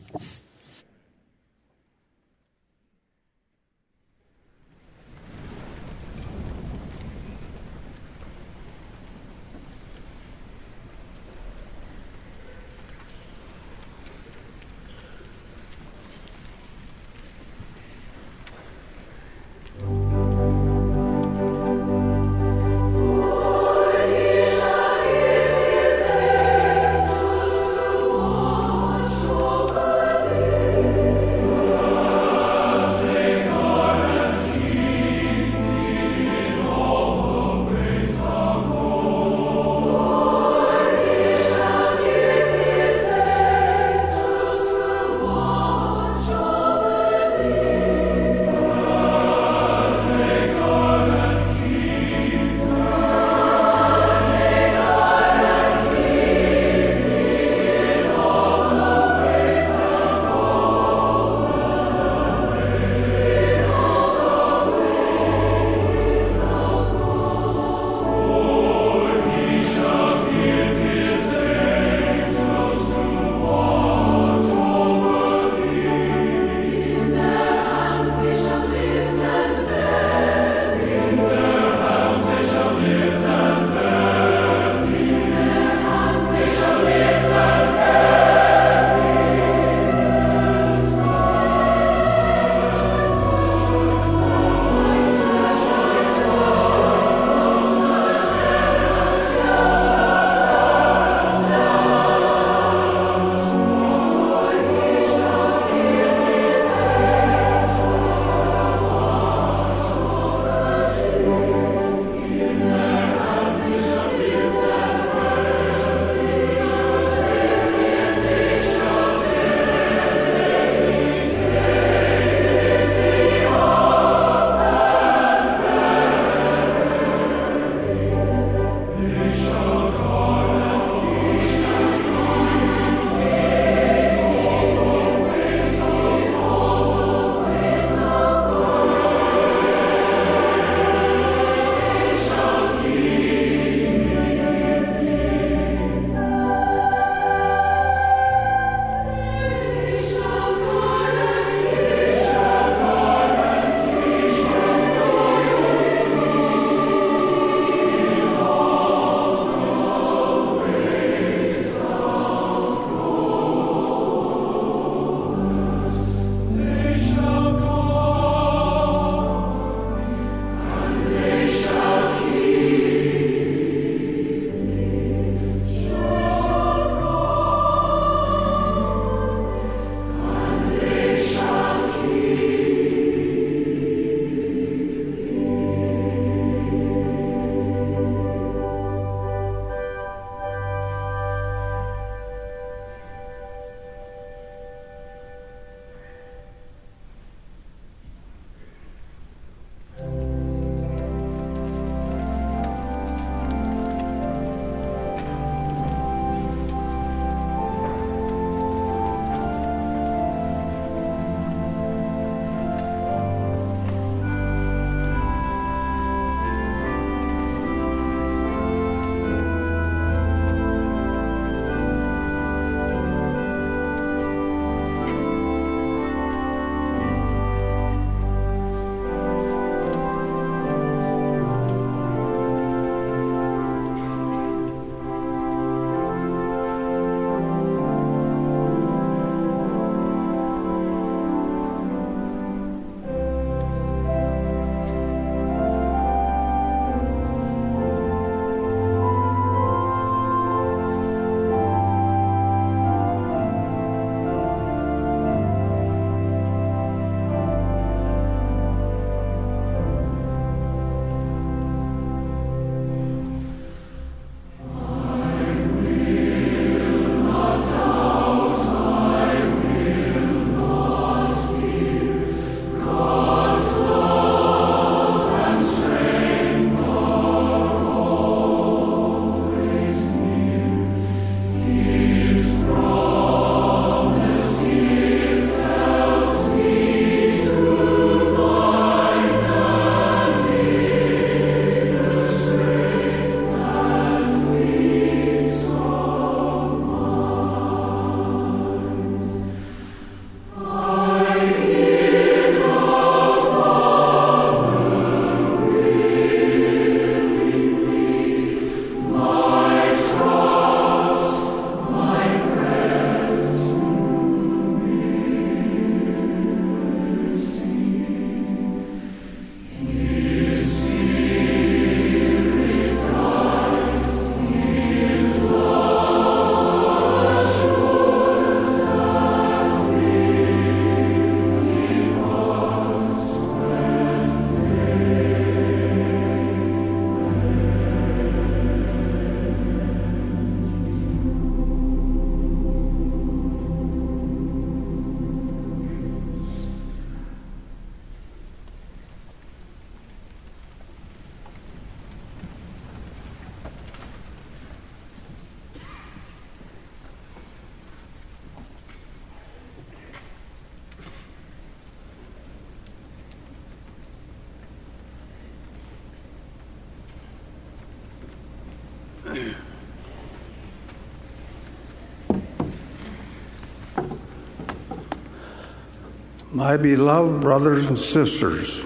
My beloved brothers and sisters,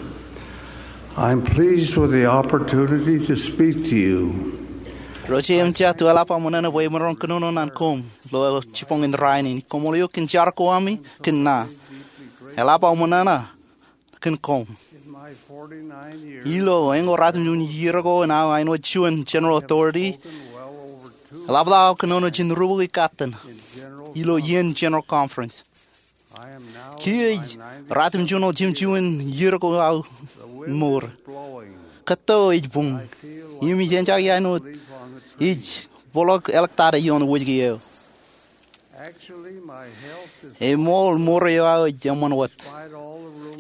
I'm pleased with the opportunity to speak to you. Ro jeiū im jea, ij eḷap aō ṃōṇōṇō bwe imaroñ kōnono ñan koṃ ilo jibboñ in rainin. Koṃṃool eok kōn jar ko ami kōn ṇa. Eḷap aō ṃōṇōṇō kōn koṃ. Ilo eñoul ratimjuon iiō ko in aō āinwōt juon General Authority, eḷapḷọk aō kōnono jān rubukwi katten ilo iien General Conference. Kiiō ej ratimjuon ojimjuon iiō ko aō mour. Kōtto ej buñ. Im ij eñjake āinwōt ij bōkḷọk āliktata ioon wōjke eo. Eṃool, mour eo aō ej eṃṃan wōt,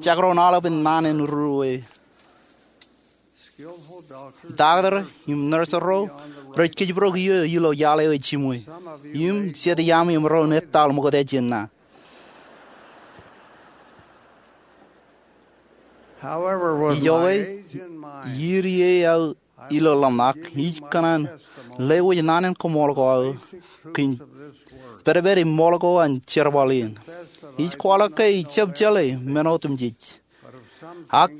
jekdọọn aolepen naan en ruo. Doctor im nurse ro rej kōjparok iiō ilo iaḷ eo ej jiṃwe. Im jet iaami emaroñ etal ṃokta jān ṇa. Ijoke, iiō eo aō ilo ḷōmṇak, ij kōṇaan lewōj naan in koṃṃool ko aō kōn pedped im ṃool ko an jerbal in. Ij kwaḷọk ke ij jab jeḷā men otemjej, ak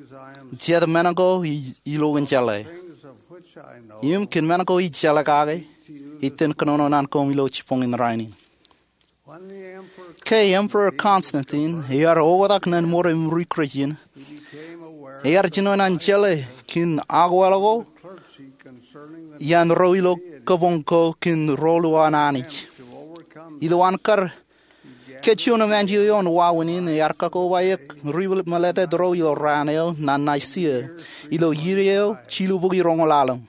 jet men ko ij iloken jeḷā. Im kōn men ko ij jeḷā kake, ij itōn kōnono ñan koṃ ilo jibboñ in rainin. Ke Emperor Constantine ear oktak ñan mour im ri-Christian, ear jino an jeḷā kōn akwāāl ko iaan ro ilo kabuñ ko kōn rōl eo an Anij. Ilo an kar kajjioñ im anjọ ioon wāween in, ear kakobaik ri-meḷeḷetak ro ilo raan eo ñan Nicaea ilo iiō eo jilubukwi roñoul ḷalem.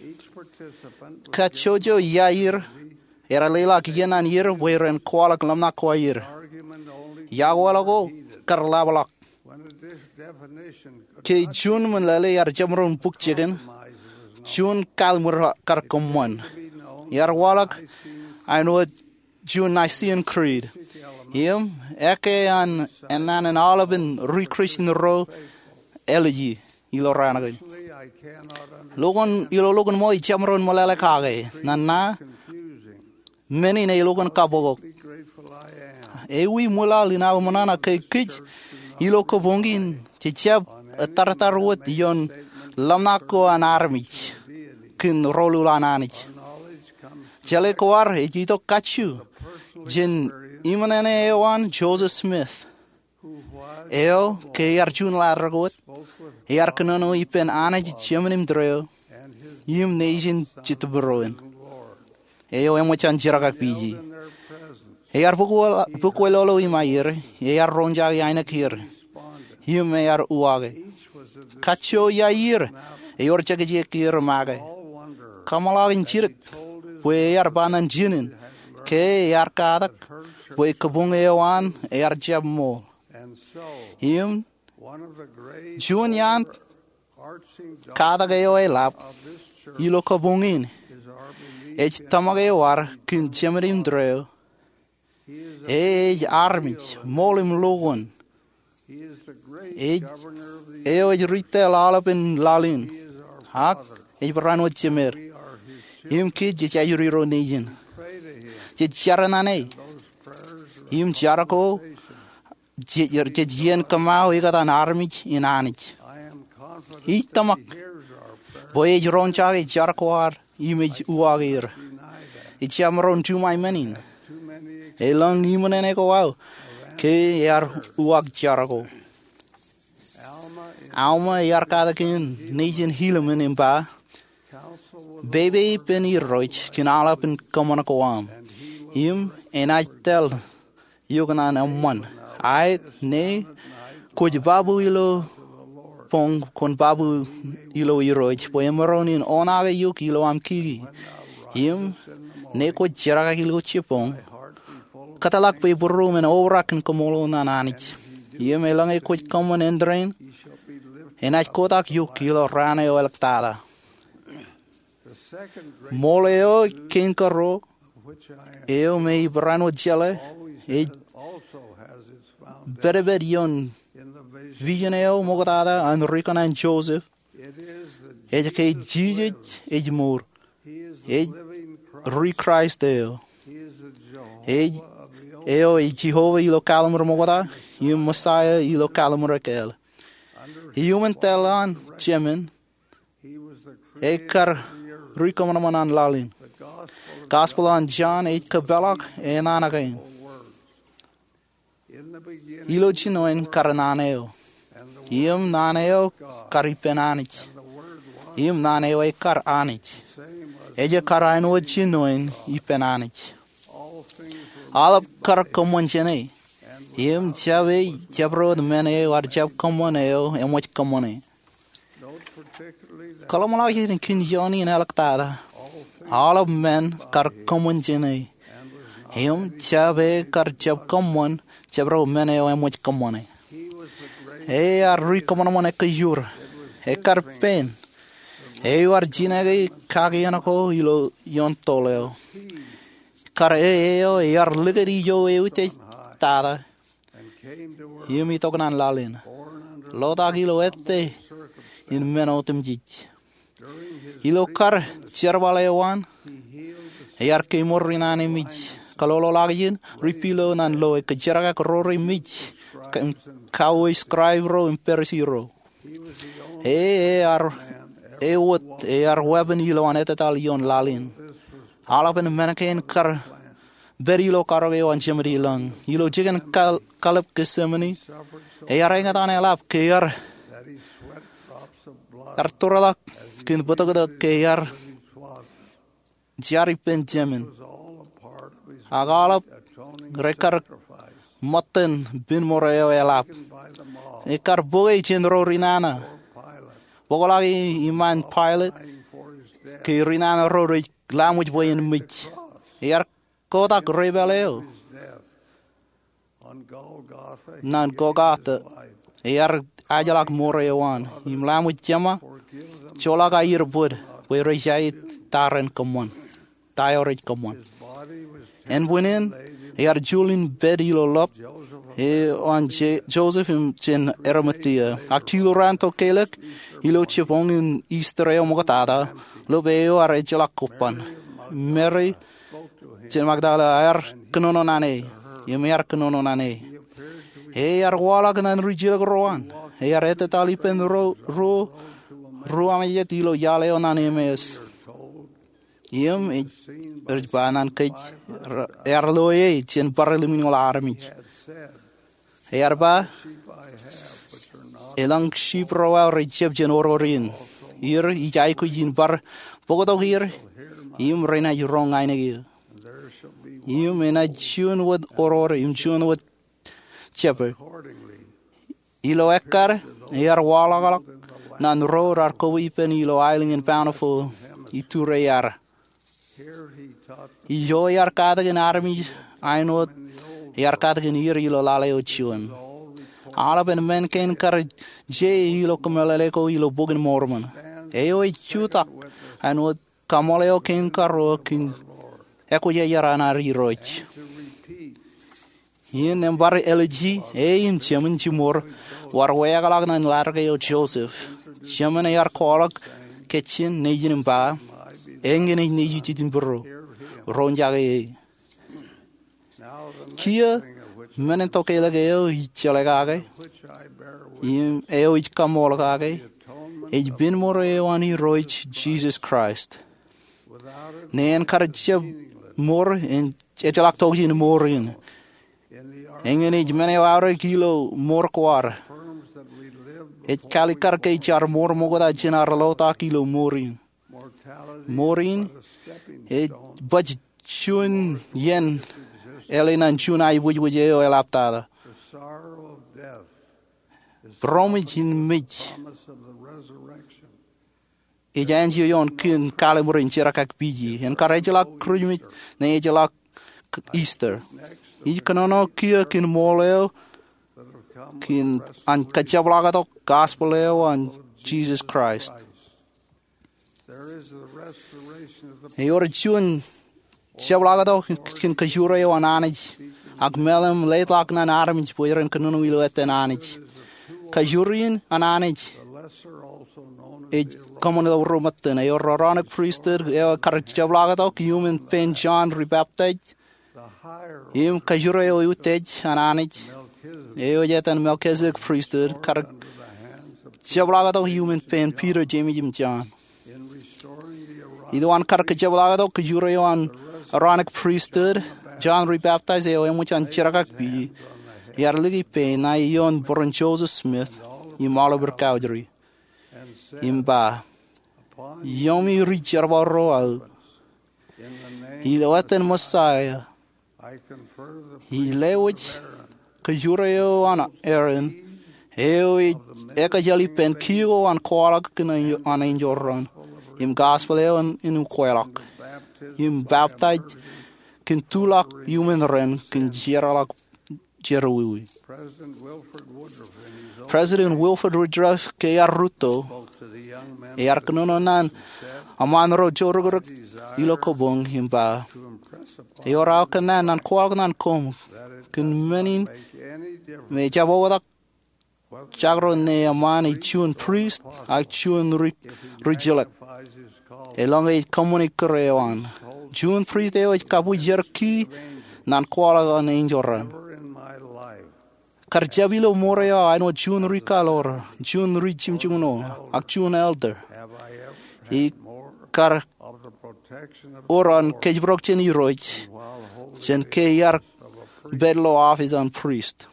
Kajjojo iaan er ear leḷọk iien an er bwe ren kwaḷọk ḷōmṇak ko aer. Akwāāl ko kar ḷapḷọk. Ke juon meḷeḷe ear jemaroñ bōk jikin, juon kataṃwe kar kōṃṃan. Ear waḷọk āinwōt juon Nicene Creed. Im ekkā an ennaan in aolepen ri-Christian ro āliji ilo raan kein. Ilo lokuṇ ṃōj ij jemaroñ meḷeḷe kake. Ñan ṇa, men in elukkuun kabokbok. Ewi ṃwilaḷ in aō ṃōṇōṇō ke kōj ilo kabuñ in jej jab ettōrtōr wōt ioon ḷōmṇak ko an armej kōn rōl eo an Anij. Jeḷā ko ad ej itok kajju jān iṃōṇōṇō eo an Joseph Smith, eo ke ear juon ḷaddik wōt, ear kōnono ippān Anij Jemān im Tōre eo im nejin Jetōb Irooj, eo eṃōj an jerkakpeje. Ear bōk, bōk wōtlọlo im aer, ear roñjake ainikien er, im ear uwaake. Kajjo iaan er ewōr jekjekier make. Kaṃṃoolol in jidik bwe ear ba ñan jinen ke ear katak bwe kabuñ eo an ear jab ṃool. Im juon iaan katak eo eḷap ilo kabuñ in ej tōmak eo ad kōn Jemān im Tōre eo. E ej armej ṃool im lukkuun. Ej, eo ej ri-tōl aolepen laḷ in, ak ej barāinwōt Jemād. Im kōj jej ajri ro nejin. Jej jar ñan e im jar ko jej, jej iien kōṃṃao ekōtaan armej in Anij. Ij tōmak bwe ej roñjake jar ko ad im ej uwaake er. Ij jab maroñ juṃae men in. Elōñ iṃōṇōṇō ko aō ke ear uwaak jar ko. Alma ear katak in nejin Helaman im ba, pepe ippān Irooj kōn aolepen kōṃṃan ko aṃ, im enaaj tōl eok ñan eṃṃan. Aet, ñe kwōj babu ilo boñ, kwōn babu ilo Irooj, bwe emaroñ in oṇaake eok ilo aṃ kiki. Im ñe kwōj jerkaki ilo jibboñ, kōtḷọk bwe būruōm en obrak in koṃṃool ñan Anij. Im eḷaññe kwōj kōṃṃan āindein, enaaj kotak eok ilo raan eo āliktata. Ṃool eo kein karuo, eo me ij barāinwōt jeḷā, ej pedped ioon vision eo ṃoktata an ri-kōṇaan Joseph. Ej ke Jisōs ej mour. Ej ri-Kraist eo. Ej eo ej Jeova ilo kaḷṃur ṃokta, im Mesaia ilo kaḷṃur ekāāl. Iuṃwin taḷ an Jemān, ekar ri kōṃanṃan an laḷ in. Gospel an John ej kōpeḷḷọk e naan kein. Ilo jinoin kar naan eo, im naan eo kar ippān Anij, im naan eo ekar Anij. Ej kar āinwōt jinoin ippān Anij. Aolep kar kōṃṃan jāne, im jab e jabdewōt men eo ad jab kōṃṃan eo eṃōj kōṃṃane. Kōḷmānḷọkjeṇ kōn ioon in āliktata. Aolep men kar kōṃṃan jāne, im jab e kar jab kōṃṃan jabdewōt men eo eṃōj kōṃṃane. E ear ri kōṃanṃan ekkejur. Ekar pein. Eo ear jineke kakiōn ko ilo ioon toḷ eo. Kar e eo ear likūt ijo eutiej tata im itok naan laḷ in, lotak ilo ettā in men otemjej. Ilo kar jerbal eo an, ear kemour ri naan emej, kōloloḷọkjeṇ, ri pilo naan loe, kōjerakak ro remej, kauwe scribe ro im Parisi ro. E ear, e wōt ear weeppān ilowaan ettataḷ ioon laḷ in. Aolepen men kein kar pād ilo karōk eo an Jemān Ilañ. Ilo jikin kal-, kalep Getsemane, ear eñtaan eḷap ke ear, ear tōrḷọk kōn bōtōktōk ke ear jar ippān Jemān. Ak aolep rekar ṃōttan pinemour eo eḷap. Ekar bōke jān ro ri nana. Bōkḷọk e iṃaan Pailat ke ri nana ro rej laṃōj bwe en mej. Ear kotak repaale eo naan Golgota. Ear ajḷọk mour eo an im laṃōj jema, joḷọk aier bōd bwe rej aet ta ren kōṃṃan, ta eo rej kōṃṃan. Ānbwinnin, ear juḷ in pād ilo lọp eo an Je-, Joseph im jān Arimathea. Ak jilu raan tokālik, ilo jibboñin Easter eo ṃoktata, lọp eo ear ejjeḷọk kobban. Mary jān Magdala ear kōnono naan e, im ear kōnono naan e. E ear waḷọk naan rijilōk ro an. Ear ettataḷ ippān ro, ro, ruo amejet ilo iaḷ eo naan Emmaus. Im ej, ej ba naan kōj, ear loe e jān bar limñoul armej. Ear ba, elōñ sheep ro aō rej jab jān oror in. Ir ij aikuj in bar bōktok er, im renaaj roñ ainikien. Im enaaj juon wōt oror im juon wōt shepherd. Ilo ekkar, ear waḷọkḷọk naan ro raar kobwe ippān ilo aelōñ in Bountiful, iturre ear. Ijo ear katakin armej āinwōt ear katakin er ilo laḷ eo juon. Aolepen men kein kar je ilo kōmeḷeḷe ko ilo Bok in Mormon. Eo ej jutak āinwōt kaṃool eo kein karuo kōn ekwōjarjar an ad Irooj. Im bar ālije, e im jemān jiṃor, bar weaḷọk naan ḷadik eo Joseph. Jemān ear kwaḷọk kajjien nejin im ba, eñin ej nejūjin būruō. Ro jake e. Kiiō, men in tokālik eo ij jeḷā kake, im eo ij kaṃool kake, ej pinemour eo an Irooj Jisōs Kraist. Neen kar jab mour, en ejjeḷọk tokjān mour in. Eñin ej men eo aorōk ilo mour ko ad. Ej kalikkar ke jaar mour ṃokta jān ad lotak ilo mour in. Mour in ej baj juon iien ālikin juon aiboojoj eo eḷaptata. Būroṃōj in mej ej āinjeo ioon kōn kalimur in jerkakpije. En kar ejjeḷọk Christmas, neen ejjeḷọk Easter. Ij kōnono kiiō kōn ṃool eo, kōn an kajjepḷaaktok gospel eo an Jisōs Kraist. Ewōr juon jepḷaaktok kōn kajoor eo an Anij, ak meḷeḷe im leḷọk naan armej bwe ren kōnono ilo ettōn Anij. Kajoor in an Anij ej kōṃṃan ilo ruo ṃōttan. Ewōr Aaronic priesthood eo kar jepḷaaktok iuṃwin pein John Ri-baptist, Im kajjure eo eutiej an Anij, eo ej etan Melchizedek Priesthood, kar jepḷaaktok iuṃwin pein Piter, Jemes im Jon. Ilo an kar kajepḷaaktok kajjure eo an Aaronic Priesthood, John Rebaptizer eo eṃōj an jerkakpeje, ear liki pein ṇae ioon bōran Joseph Smith im aolep ri kaujri, im ba, Iọkwe ri jerbal ro aō, ilo etan Messiah, ij lewōj kajjure eo an Aaron, eo ej ekajjeḷ ippān kiiō an kwaḷọk kōn an enjeḷ raṇ, im gospel eo an ukweḷọk, im baptize kōn tuḷọk iuṃwin ren kōn jeorḷọk jerọwiwi. President Wilford Woodruff ke ear rūtto, ear kōnono ñan eṃṃaan ro jourūkūrūk ilo kabuñ im ba, ewōr aō kōnnaan ñan kwaḷọk ñan koṃ kōn men in me ejjab oktak jabdewōt ñe eṃṃaan ej juon prist ak juon ri, rijilōk, eḷaññe ej kōṃṃani kūr eo an. Juon prist eo ej kabwijer kiiō ñan kwaḷọk an enjeḷ raṇ. Kar jab ilo ṃool eo aō āinwōt juon ri kaḷoor, juon ri jimjukuṇ, ak juon elder, ikar wōr an kōjparok jān Irooj jān ke iar pād ilo office an prist.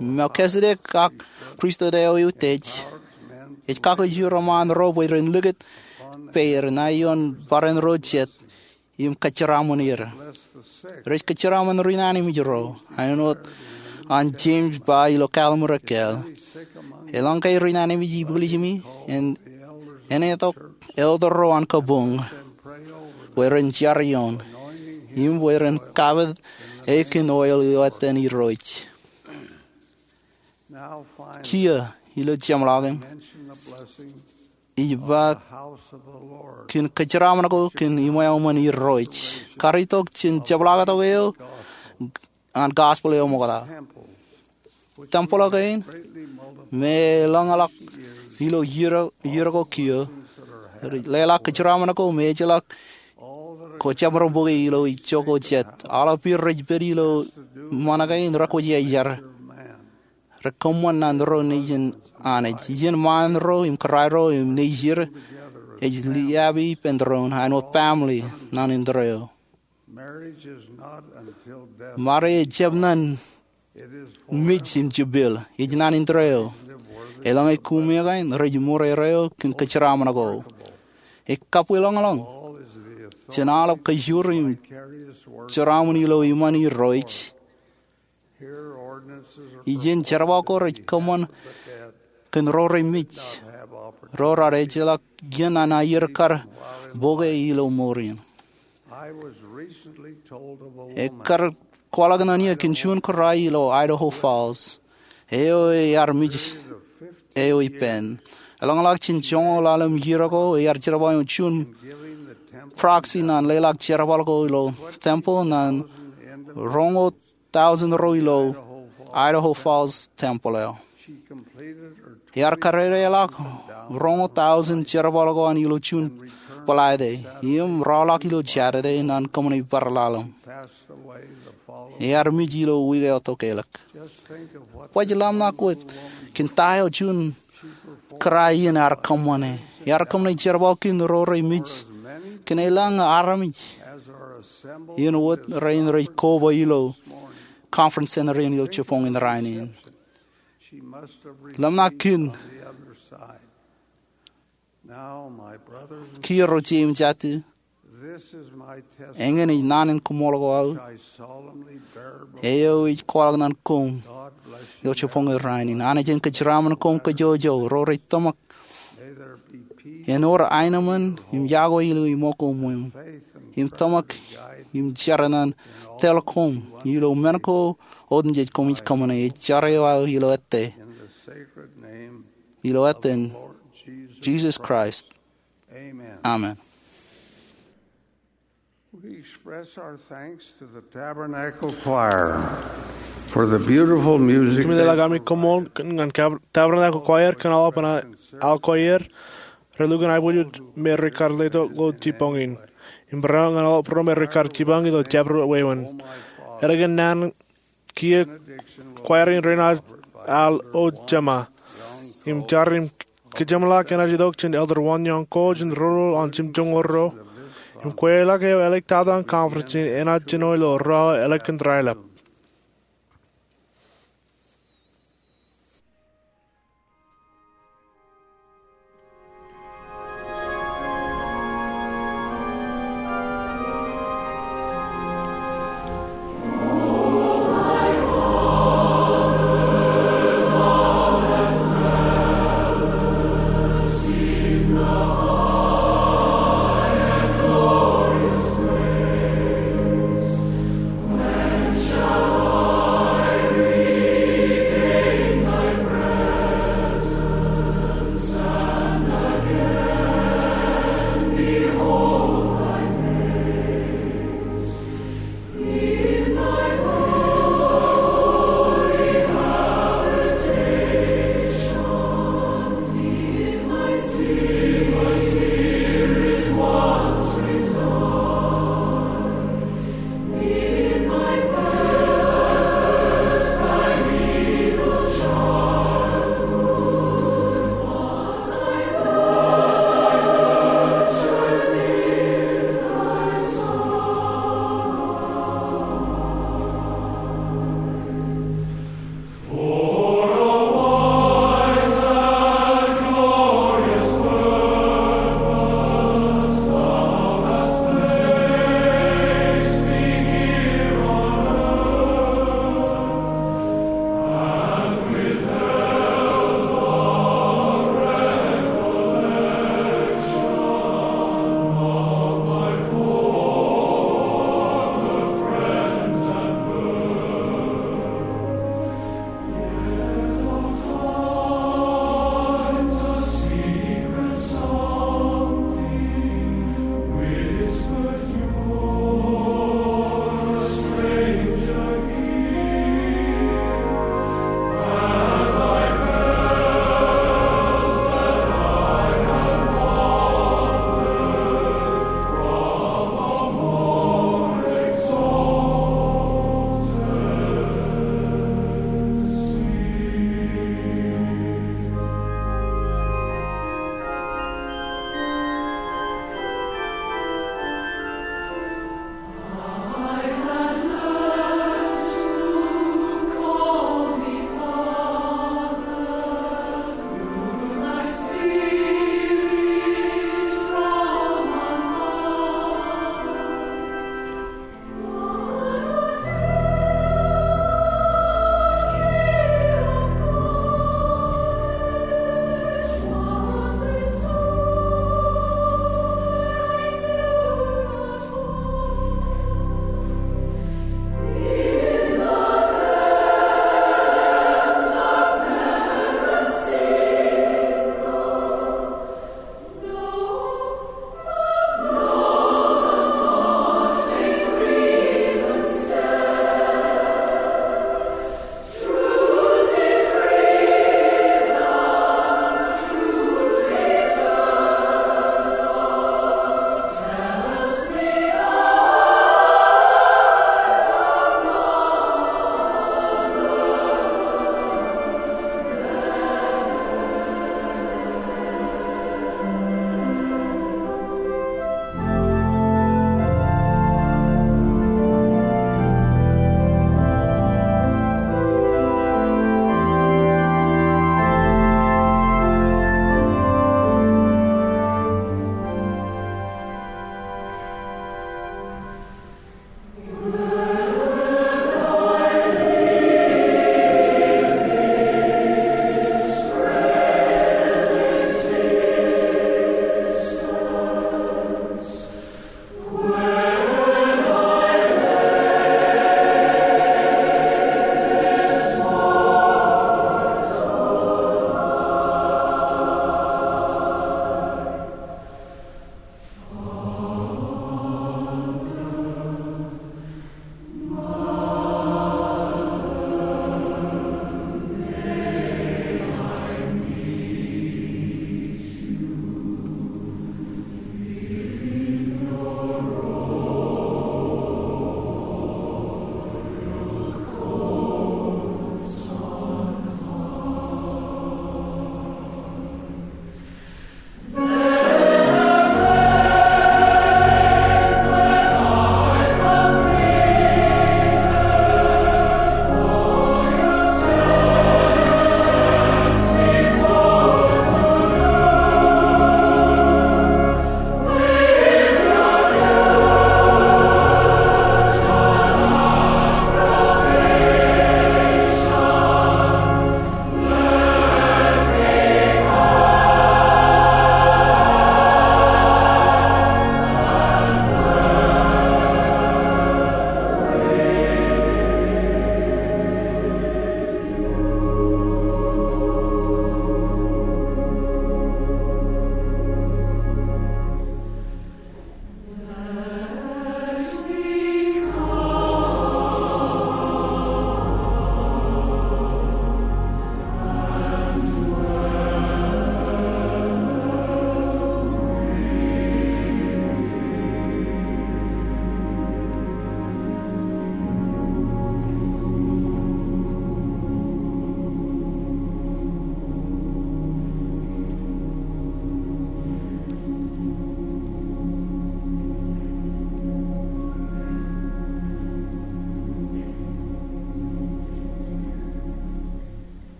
Melchizedek ak pristut eo eutiej ej kakijjir eṃṃaan ro bwe ren likūt peid ṇae ioon barāinwōt ro jet im kōjeraṃṃan er. Rej kōjeraṃṃan ri ṇanemej ro, āinwōt an Jemes ba ilo Kalimur Ekkāāl, eḷaññe ri ṇanemej ipwiljiṃi, en, enaaj itok elder ro an kabuñ bwe ren jar ioon, im bwe ren kapit e kōn oil ilo etan Irooj. Kiiō ilo jeṃḷọkin ij ba kōn kōjeraṃṃan ko kōn iṃweo iṃōn Irooj, kar itok jān jepḷaaktok eo an gospel eo ṃokta. Tempel kein me eḷōñḷọk ilo iiō, iiō ko kiiō, leḷọk kōjeraṃṃan ko me ejjeḷọk ko jabdewōt bōke ilo ijoko jet. Aolep iiō rej pād ilo ṃōṇōṇō kein rekwōj iajar. Rekōṃṃan ñan ro nejin Anij. Iien ṃaan ro im kōrā ro im nejid ej liabi ippān doon āinwōt family ñan indeeo. Marriage ejjab ñan mej im jepel, ej ñan indeeo. Eḷaññe koṃ eo kain, rej ṃōrere eok kōn kōjeraṃṃan ko. Ekabwilōñlōñ jān aolep kajjoor im jeraaṃṃan ilo iṃaan Irooj. Ijin jerbal ko rej kōṃṃan kōn ro remej, ro raar ejjeḷọk iien an aier kar bōke ilo mour in. Ekar kwaḷọk ñan eō kōn juon kōrā ilo Idaho Falls, eo ear mej eo ippān. Eḷōñḷọk jān joñoul ḷalem iiō ko, ear jerbal eo juon proxy ñan leḷọk jerbal ko ilo tempel ñan roñoul tọujin ro ilo Idaho Falls tempel eo. Ear kadedeḷọk roñoul tọujin jerbal ko an ilo juon bōḷaete, im rọọlḷọk ilo Jatete ñan kōṃṃane bar ḷalem. Ear mej ilo wiik eo tokālik. Baj ḷōmṇak wōt kōn ta eo juon kōrā in ear kōṃṃane. Ear kōṃṃane jerbal kōn ro remej kōn elōñ armej in wōt rein rej koba ilo conference center in ilo jibboñ in rainin. Ḷōmṇak kōn Kiiō ro jeiū im jatū, eñin ej naan in koṃṃool ko aō, eo ij kwaḷọk ñan koṃ ilo jibboñ in rainin. Anij en kōjeraṃṃan koṃ kōjwōjwōj, ro rej tōmak en wōr aenōṃṃan im yokwe ilo iṃō ko ṃweo, im tōmak im jar ñan tōl koṃ ilo men ko otemjej koṃij kōṃṃane. Ij jar eo aō ilo ettā, ilo etan Jisōs Kraist. Amen. We express our thanks to the Tabernacle Choir for the beautiful music. Kōmeḷeḷe ami koṃṃool ñan Tabernacle Choir kōn aolepen aō choir relukkuun aiboojoj me rekar letok ilo jibboñ in. im barāinwōt ñan aolep ro me rekar jipañ ilo jabdewōt wāween. Ālikin naan kiiō, kwōjarjar rein al O Jema im jar im kōjeṃḷọk enaaj itok jān Elder Won Yong Ko jān ro ro an jimjuonñoul ruo im kweilọk eo āliktata in conference in enaaj jino ilo ruo ālikin raelep.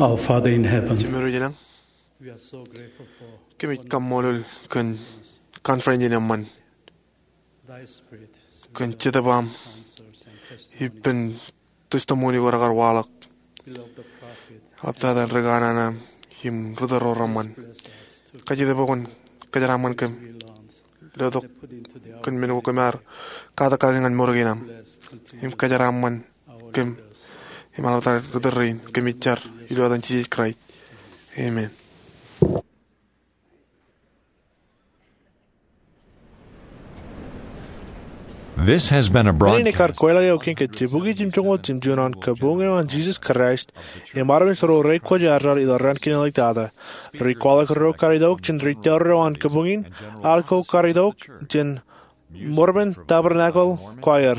Our Father in heaven, Jemem eo ej ilañ, we are so grateful for kōmij kaṃṃoolol kōn conference in eṃṃan, thy spirit, kōn jetōb aṃ counsels and testimony. Ippān testimony ko rekar waḷọk. Beloved prophet, eḷaptata ri kanaan aṃ im ri tōl ro reṃṃan. Bless us to kajjitōk bwe kwōn kōjeraaṃṃan kōm, letok kōn men ko kōm ar katak kake ñan mour kein aṃ, im kōjeraaṃṃan kōm, im eḷaptata ri tōl rein. Kōmij jar ilo etan Jisōs Kraist. Amen. This has been a broadcast. Kar kweilọk eo kein ke Jibukwi Jimjuonñoul Jimjuon an Kabuñ eo an Jisōs Kraist im armej ro rekwōjarjar ilo raan kein āliktata. Ri kwaḷọk ro kar itok jān ri tōl ro an kabuñ in, ak ro kar itok jān Mormon Tabernacle Choir.